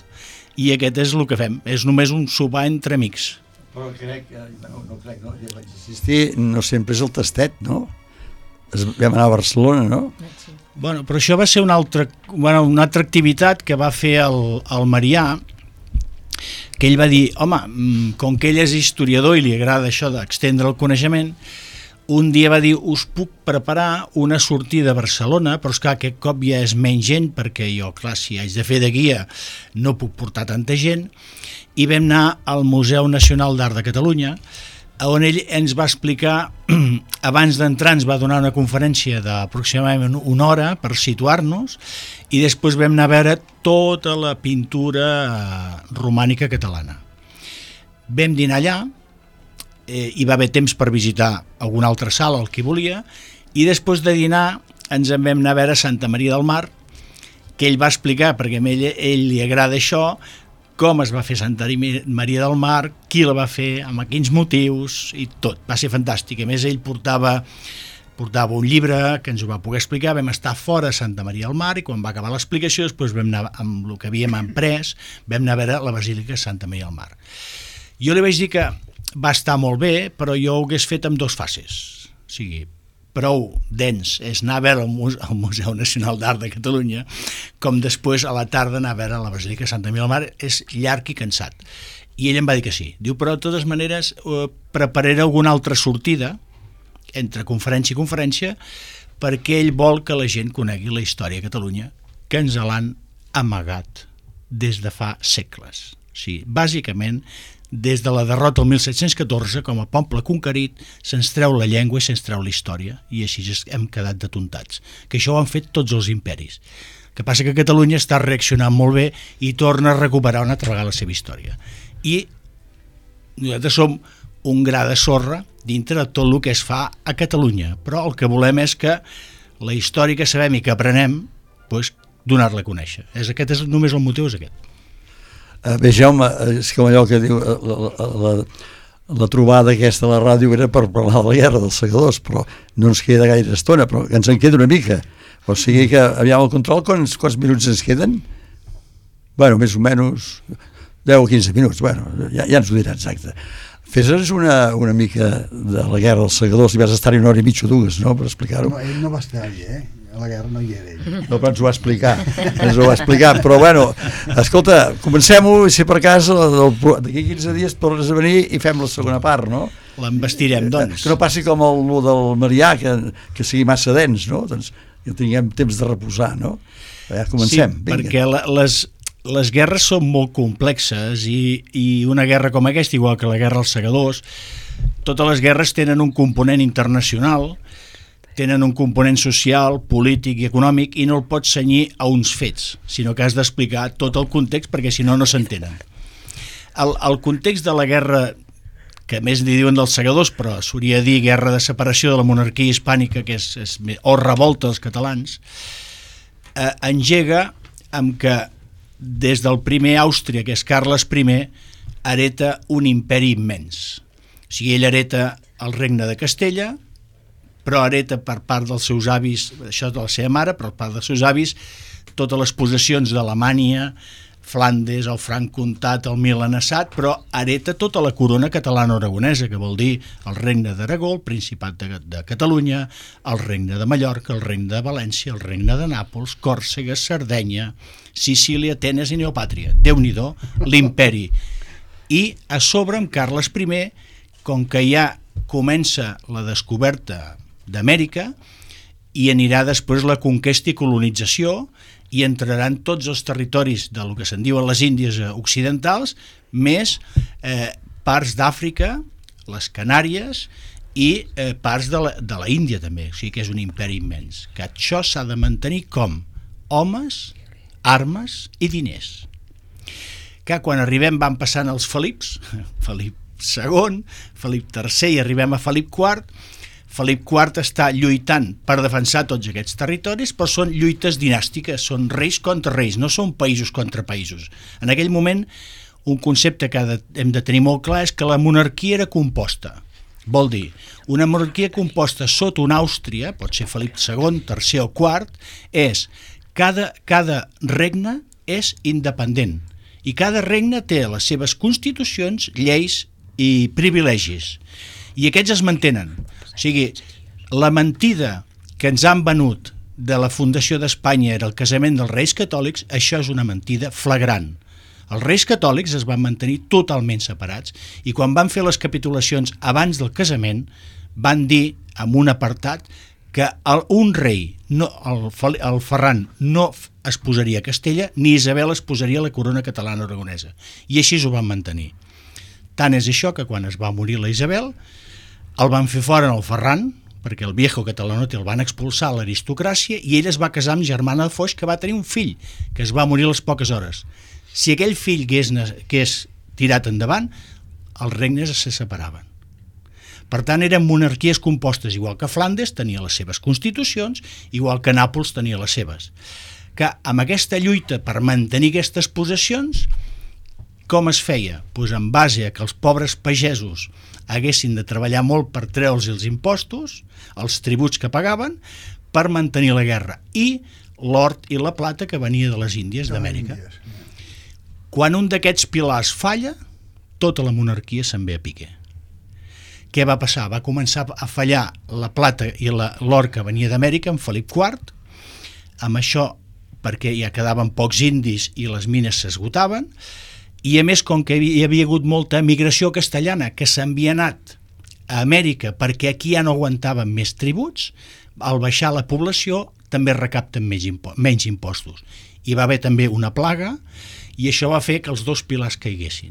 I aquest és el que fem, és només un sopar entre amics. Però crec, no ja vaig assistir, no sempre és el tastet, no? Vam anar a Barcelona, no? Bueno, però això va ser una altra activitat que va fer el Marià, que ell va dir, home, com que ell és historiador i li agrada això d'extendre el coneixement, un dia va dir, us puc preparar una sortida a Barcelona, però esclar, aquest cop ja és menys gent, perquè jo, clar, si haig de fer de guia no puc portar tanta gent, i vam anar al Museu Nacional d'Art de Catalunya, on ell ens va explicar, abans d'entrar ens va donar una conferència d'aproximadament 1 hora per situar-nos, i després vam anar a veure tota la pintura romànica catalana. Vam dinar allà, hi va haver temps per visitar alguna altra sala, el que volia, i després de dinar ens en vam anar a veure Santa Maria del Mar, que ell va explicar, perquè a ell li agrada això, com es va fer Santa Maria del Mar, qui la va fer, amb quins motius, i tot. Va ser fantàstic. A més, ell portava un llibre que ens ho va poder explicar, vam estar fora a Santa Maria del Mar, i quan va acabar l'explicació, després vam anar amb el que havíem emprès, vam anar a veure la Basílica de Santa Maria del Mar. Jo li vaig dir que va estar molt bé, però jo ho hagués fet en 2 fases. O sigui, prou dens és anar a veure el Museu Nacional d'Art de Catalunya, com després a la tarda anar a veure la Basílica de Santa Maria del Mar, és llarg i cansat. I ell em va dir que sí. Diu, però de totes maneres prepararé alguna altra sortida entre conferència i conferència, perquè ell vol que la gent conegui la història de Catalunya, que ens l'han amagat des de fa segles. O sigui, bàsicament des de la derrota el 1714, com a poble conquerit, se'ns treu la llengua i se'ns treu la història, i així hem quedat detontats. Que això ho han fet tots els imperis. El que passa que Catalunya està reaccionant molt bé i torna a recuperar una altra vegada la seva història. I nosaltres som un gra de sorra dintre de tot el que es fa a Catalunya, però el que volem és que la història que sabem i que aprenem, doncs, donar-la a conèixer. Aquest és només el motiu, és aquest. Bé, Jaume, és com allò que diu la trobada aquesta a la ràdio era per parlar de la guerra dels segadors, però no ens queda gaire estona, però ens en queda una mica. O sigui que, aviam el control, quants minuts ens queden? Bueno, més o menys 10 o 15 minuts, bueno, ja ens ho dirà exacte. Fes-nos una mica de la guerra dels segadors, i vas estar-hi una hora i mitja o dues, no?, per explicar-ho. No, ell no va estar-hi, a la guerra no hi era ell. No, però ens ho va explicar, però bueno, escolta, comencem-ho, i si per cas d'aquí 15 dies tornes a venir i fem la segona part, no? L'embestirem, doncs. Que no passi com el del Marià, que sigui massa dens, no? Doncs que tinguem temps de reposar, no? Ja comencem. Sí, perquè les guerres són molt complexes i una guerra com aquesta, igual que la guerra als segadors, totes les guerres tenen un component internacional, tenen un component social, polític i econòmic, i no el pots cenyir a uns fets, sinó que has d'explicar tot el context, perquè si no, no s'entenen. El context de la guerra, que més li diuen dels segadors, però s'hauria de dir guerra de separació de la monarquia hispànica, que és o revolta dels catalans, engega amb que des del primer Àustria, que és Carles I, hereta un imperi immens. O sigui, ell hereta el regne de Castella, però hereta per part dels seus avis, això de la seva mare, però per part dels seus avis, totes les possessions d'Alemanya, Flandes, el Franc Comtat, el Milanesat, però hereta tota la corona catalana-aragonesa, que vol dir el regne d'Aragó, el Principat de Catalunya, el regne de Mallorca, el regne de València, el regne de Nàpols, Còrsega, Sardenya, Sicília, Atenes i Neopàtria. Déu-n'hi-do, l'imperi. I a sobre amb Carles I, com que ja comença la descoberta d'Amèrica i anirà després la conquesta i colonització, i entraran tots els territoris del que se'n diuen les Índies occidentals, més parts d'Àfrica, les Canàries i parts de la Índia també, o sigui que és un imperi immens, que això s'ha de mantenir com? Homes, armes i diners. Que quan arribem van passant els Felips, Felip II, Felip III, i arribem a Felip IV, Felip IV està lluitant per defensar tots aquests territoris, però són lluites dinàstiques, són reis contra reis, no són països contra països. En aquell moment, un concepte que hem de tenir molt clar és que la monarquia era composta. Vol dir, una monarquia composta sota una Àustria, pot ser Felip II, III o IV, és cada regne és independent i cada regne té les seves constitucions, lleis i privilegis. I aquests es mantenen. O sigui, la mentida que ens han venut de la fundació d'Espanya era el casament dels reis catòlics, això és una mentida flagrant. Els reis catòlics es van mantenir totalment separats i quan van fer les capitulacions abans del casament van dir, en un apartat, que un rei, el Ferran, no es posaria a Castella ni Isabel es posaria a la corona catalana aragonesa. I així ho van mantenir. Tant és això que quan es va morir la Isabel el van fer fora en el Ferran, perquè el viejo catalanote el van expulsar a l'aristocràcia i ell es va casar amb Germana de Foix, que va tenir un fill, que es va morir a les poques hores. Si aquell fill que és tirat endavant, els regnes se separaven. Per tant, eren monarquies compostes, igual que Flandes tenia les seves constitucions, igual que Nàpols tenia les seves. Que amb aquesta lluita per mantenir aquestes possessions, com es feia? Doncs en base a que els pobres pagesos haguessin de treballar molt per treure'ls els impostos, els tributs que pagaven, per mantenir la guerra, i l'or i la plata que venia de les Índies d'Amèrica. Quan un d'aquests pilars falla, tota la monarquia se'n ve a pique. Què va passar? Va començar a fallar la plata i l'or que venia d'Amèrica amb Felip IV, amb això perquè ja quedaven pocs indis i les mines s'esgotaven, i a més, com que hi havia hagut molta emigració castellana que s'havia anat a Amèrica perquè aquí ja no aguantaven més tributs, al baixar la població també recapten menys impostos. Hi va haver també una plaga i això va fer que els dos pilars caiguessin.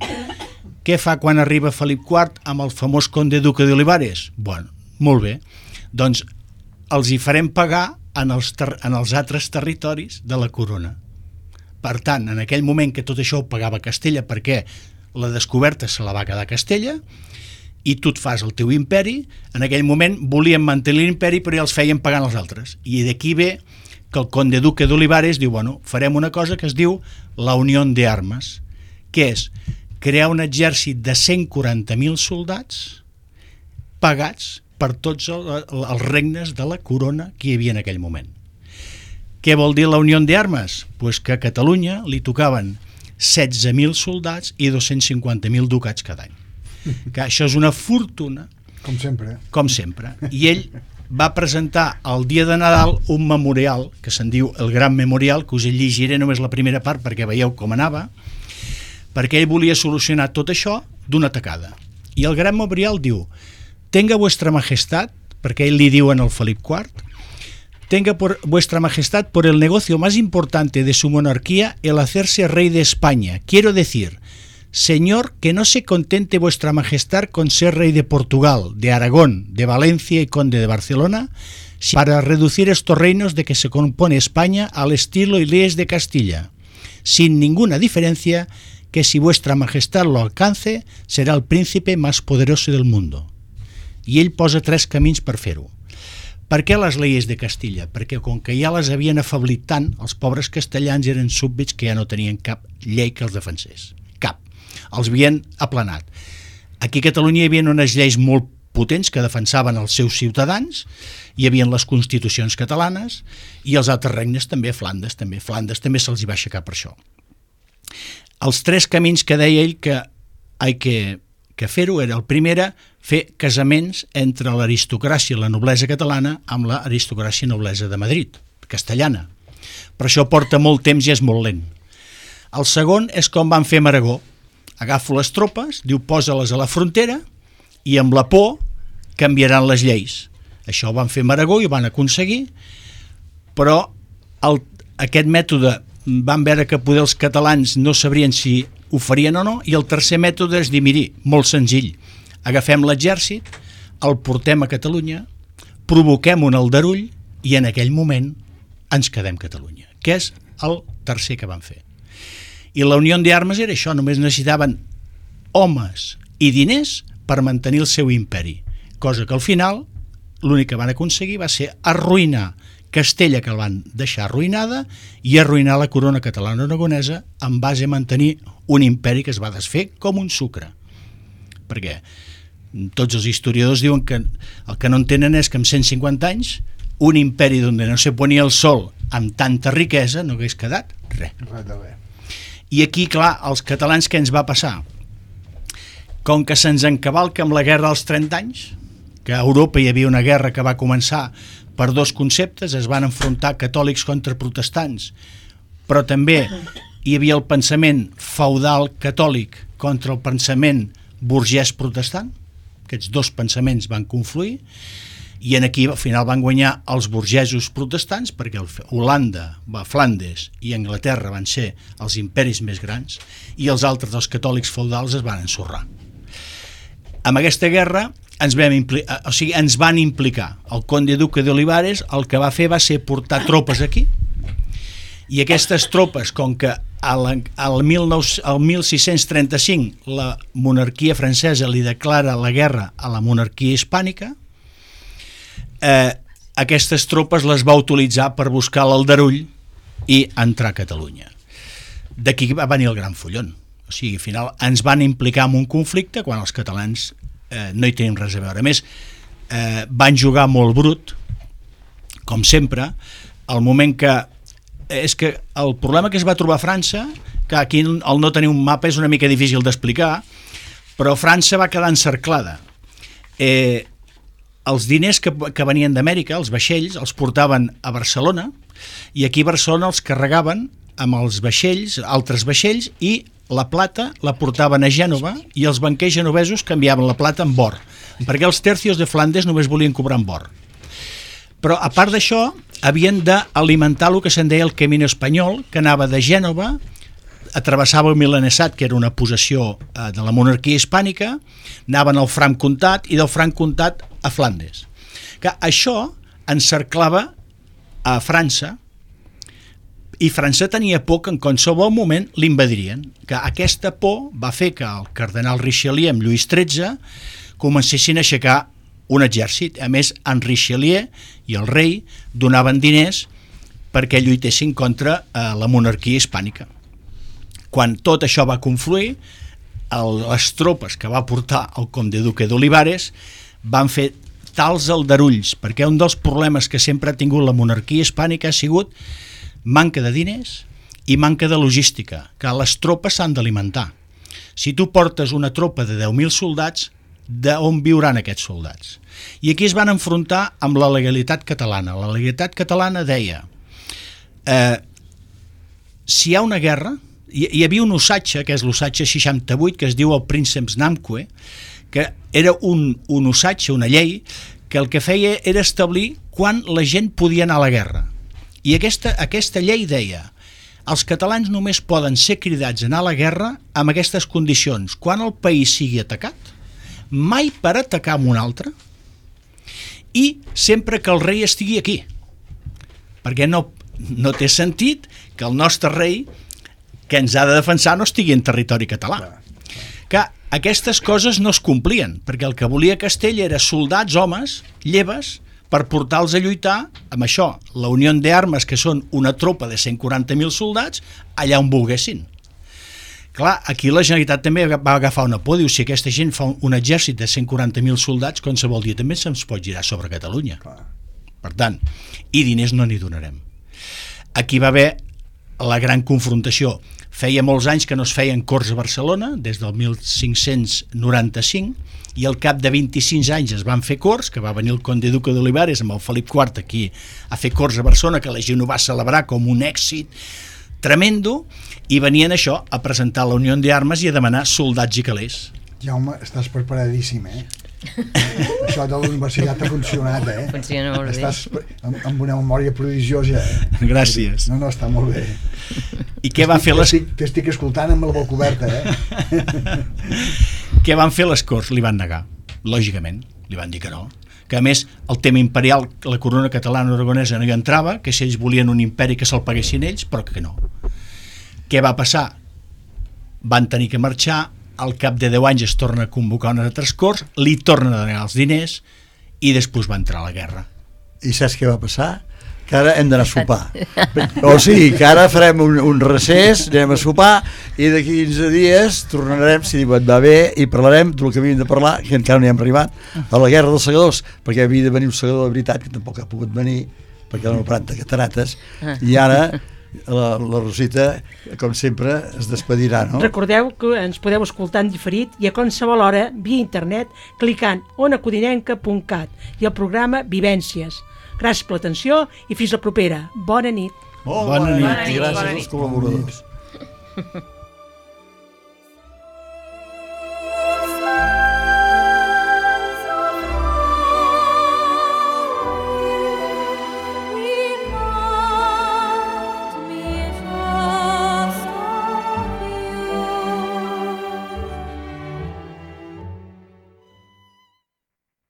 Què fa quan arriba Felip IV amb el famós conde duque d'Olivares? Bueno, molt bé, doncs els hi farem pagar en els altres territoris de la corona. Per tant, en aquell moment que tot això ho pagava Castella, perquè la descoberta se la va quedar Castella, i tu et fas el teu imperi, en aquell moment volien mantenir l'imperi però ja els feien pagant els altres. I d'aquí ve que el conde duque d'Olivares diu, bueno, farem una cosa que es diu la Unió de Armes, que és crear un exèrcit de 140.000 soldats pagats per tots els regnes de la corona que hi havia en aquell moment. Què vol dir la Unió de Armes? Pues que a Catalunya li tocaven 16.000 soldats i 250.000 ducats cada any. Que això és una fortuna. Com sempre. Com sempre. I ell va presentar el dia de Nadal un memorial, que se'n diu el Gran Memorial, que us llegiré només la primera part perquè veieu com anava, perquè ell volia solucionar tot això d'una tacada. I el Gran Memorial diu: tenga vuestra majestad, perquè ell li diuen el Felip IV, tenga por vuestra majestad por el negocio más importante de su monarquía el hacerse rey de España. Quiero decir, señor, que no se contente vuestra majestad con ser rey de Portugal, de Aragón, de Valencia y conde de Barcelona, para reducir estos reinos de que se compone España al estilo y leyes de Castilla, sin ninguna diferencia, que si vuestra majestad lo alcance, será el príncipe más poderoso del mundo. I ell posa 3 camins per fer-ho. Per què les lleis de Castilla? Perquè com que ja les havien afeblit tant, els pobres castellans eren súbdits que ja no tenien cap llei que els defensés. Cap. Els havien aplanat. Aquí a Catalunya hi havia unes lleis molt potents que defensaven els seus ciutadans, hi havia les constitucions catalanes i els altres regnes també, Flandes també se'ls hi va aixecar per això. Els 3 camins que deia ell que fer-ho era: el primer era fer casaments entre l'aristocràcia i la noblesa catalana amb l'aristocràcia i noblesa de Madrid, castellana. Però això porta molt temps i és molt lent. El segon és com van fer amb Aragó. Agafo les tropes, diu, posa-les a la frontera i amb la por canviaran les lleis. Això ho van fer amb Aragó i ho van aconseguir, però aquest mètode van veure que poder els catalans no sabrien si ho farien o no, i el tercer mètode és dir, miri, molt senzill, agafem l'exèrcit, el portem a Catalunya, provoquem un aldarull i en aquell moment ens quedem Catalunya, que és el tercer que van fer. I la Unió d'Armes era això, només necessitaven homes i diners per mantenir el seu imperi, cosa que al final l'únic que van aconseguir va ser arruïnar Castella, que el van deixar arruïnada, i arruïnar la corona catalana aragonesa en base a mantenir un imperi que es va desfer com un sucre. Perquè tots els historiadors diuen que el que no entenen és que en 150 anys un imperi on no se ponia el sol amb tanta riquesa no hagués quedat res. I aquí, clar, els catalans què ens va passar? Com que se'ns encavalca amb la guerra dels 30 anys, que a Europa hi havia una guerra que va començar per 2 conceptes, es van enfrontar catòlics contra protestants, però també hi havia el pensament feudal catòlic contra el pensament burgès protestant. Aquests 2 pensaments van confluir i aquí al final van guanyar els burgesos protestants, perquè Holanda, Flandes i Anglaterra van ser els imperis més grans i els altres, els catòlics feudals, es van ensorrar. Amb aquesta guerra ens van implicar. El conde duque d'Olivares el que va fer va ser portar tropes aquí, i aquestes tropes, com que al 1635 la monarquia francesa li declara la guerra a la monarquia hispànica, aquestes tropes les va utilitzar per buscar l'aldarull i entrar a Catalunya. D'aquí va venir el gran follon. O sigui, al final ens van implicar en un conflicte quan els catalans no hi tenim res a veure. A més, van jugar molt brut, com sempre, al moment que... És que el problema que es va trobar a França, que aquí el no tenir un mapa és una mica difícil d'explicar, però França va quedar encerclada. Els diners que venien d'Amèrica, els vaixells, els portaven a Barcelona, i aquí a Barcelona els carregaven amb els vaixells, altres vaixells, i la plata la portaven a Gènova i els banquers genovesos canviaven la plata en or, perquè els tercios de Flandes només volien cobrar en or. Però a part d'això havien d'alimentar el que se'n deia el camí espanyol, que anava de Gènova travessava el Milanesat, que era una possessió de la monarquia hispànica, anaven al Franc Comtat i del Franc Comtat a Flandes. Que això encerclava a França, i França tenia por que en qualsevol moment l'invadirien. Que aquesta por va fer que el cardenal Richelieu amb Lluís XIII comencessin a aixecar un exèrcit. A més, en Richelieu i el rei donaven diners perquè lluitessin contra la monarquia hispànica. Quan tot això va confluir, les tropes que va portar el comte duque d'Olivares van fer tals aldarulls, perquè un dels problemes que sempre ha tingut la monarquia hispànica ha sigut manca de diners i manca de logística, que les tropes s'han d'alimentar. Si tu portes una tropa de 10.000 soldats, d'on viuran aquests soldats? I aquí es van enfrontar amb la legalitat catalana. La legalitat catalana deia si hi ha una guerra, hi havia un usatge, que és l'usatge 68, que es diu el Prínceps Namque, que era un usatge, una llei, que el que feia era establir quan la gent podia anar a la guerra. I aquesta llei deia: els catalans només poden ser cridats a anar a la guerra amb aquestes condicions: quan el país sigui atacat, mai per atacar amb un altre, i sempre que el rei estigui aquí, perquè no té sentit que el nostre rei, que ens ha de defensar, no estigui en territori català. Que aquestes coses no es complien, perquè el que volia Castell era soldats, homes, lleves, per portar-los a lluitar amb això, la Unió d'Armes, que són una tropa de 140.000 soldats, allà on volguessin. Clar, aquí la Generalitat també va agafar una por, diu, si aquesta gent fa un exèrcit de 140.000 soldats, qualsevol dia també se'ns pot girar sobre Catalunya. Per tant, i diners no n'hi donarem. Aquí va haver la gran confrontació. Feia molts anys que no es feien corts a Barcelona, des del 1595, i al cap de 25 anys es van fer corts, que va venir el comte duque d'Olivares amb el Felip IV aquí a fer corts a Barcelona, que la gent ho va celebrar com un èxit tremendo, i venien això a presentar la Unió d'Armes i a demanar soldats i calés. Jaume, estàs preparadíssim, Això de la universitat ha funcionat, Funciona molt bé. Estàs amb una memòria prodigiosa, Gràcies. No, està molt bé. I què va fer les... T'estic escoltant amb la boca oberta, Què van fer les Corts? Li van negar, lògicament, li van dir que no. Que a més el tema imperial, la corona catalana aragonesa no hi entrava, que si ells volien un imperi que se'l paguessin ells, però que no. Què va passar? Van tenir que marxar, al cap de 10 anys es torna a convocar unes altres Corts, li tornen a donar els diners i després va entrar a la guerra. I saps què va passar? Que ara hem d'anar a sopar. O sigui, que ara farem un recés, anem a sopar i d'aquí 15 dies tornarem, si et va bé, i parlarem del que havíem de parlar, que encara no hi hem arribat, a la guerra dels segadors, perquè havia de venir un segador de veritat, que tampoc ha pogut venir, perquè l'han operat de catarates, i ara la Rosita, com sempre, es despedirà, no? Recordeu que ens podeu escoltar en diferit i a qualsevol hora via internet clicant onacodinenca.cat i el programa Vivències. Gràcies per l'atenció i fins la propera. Bona nit. Bona nit i gràcies als col·laboradors.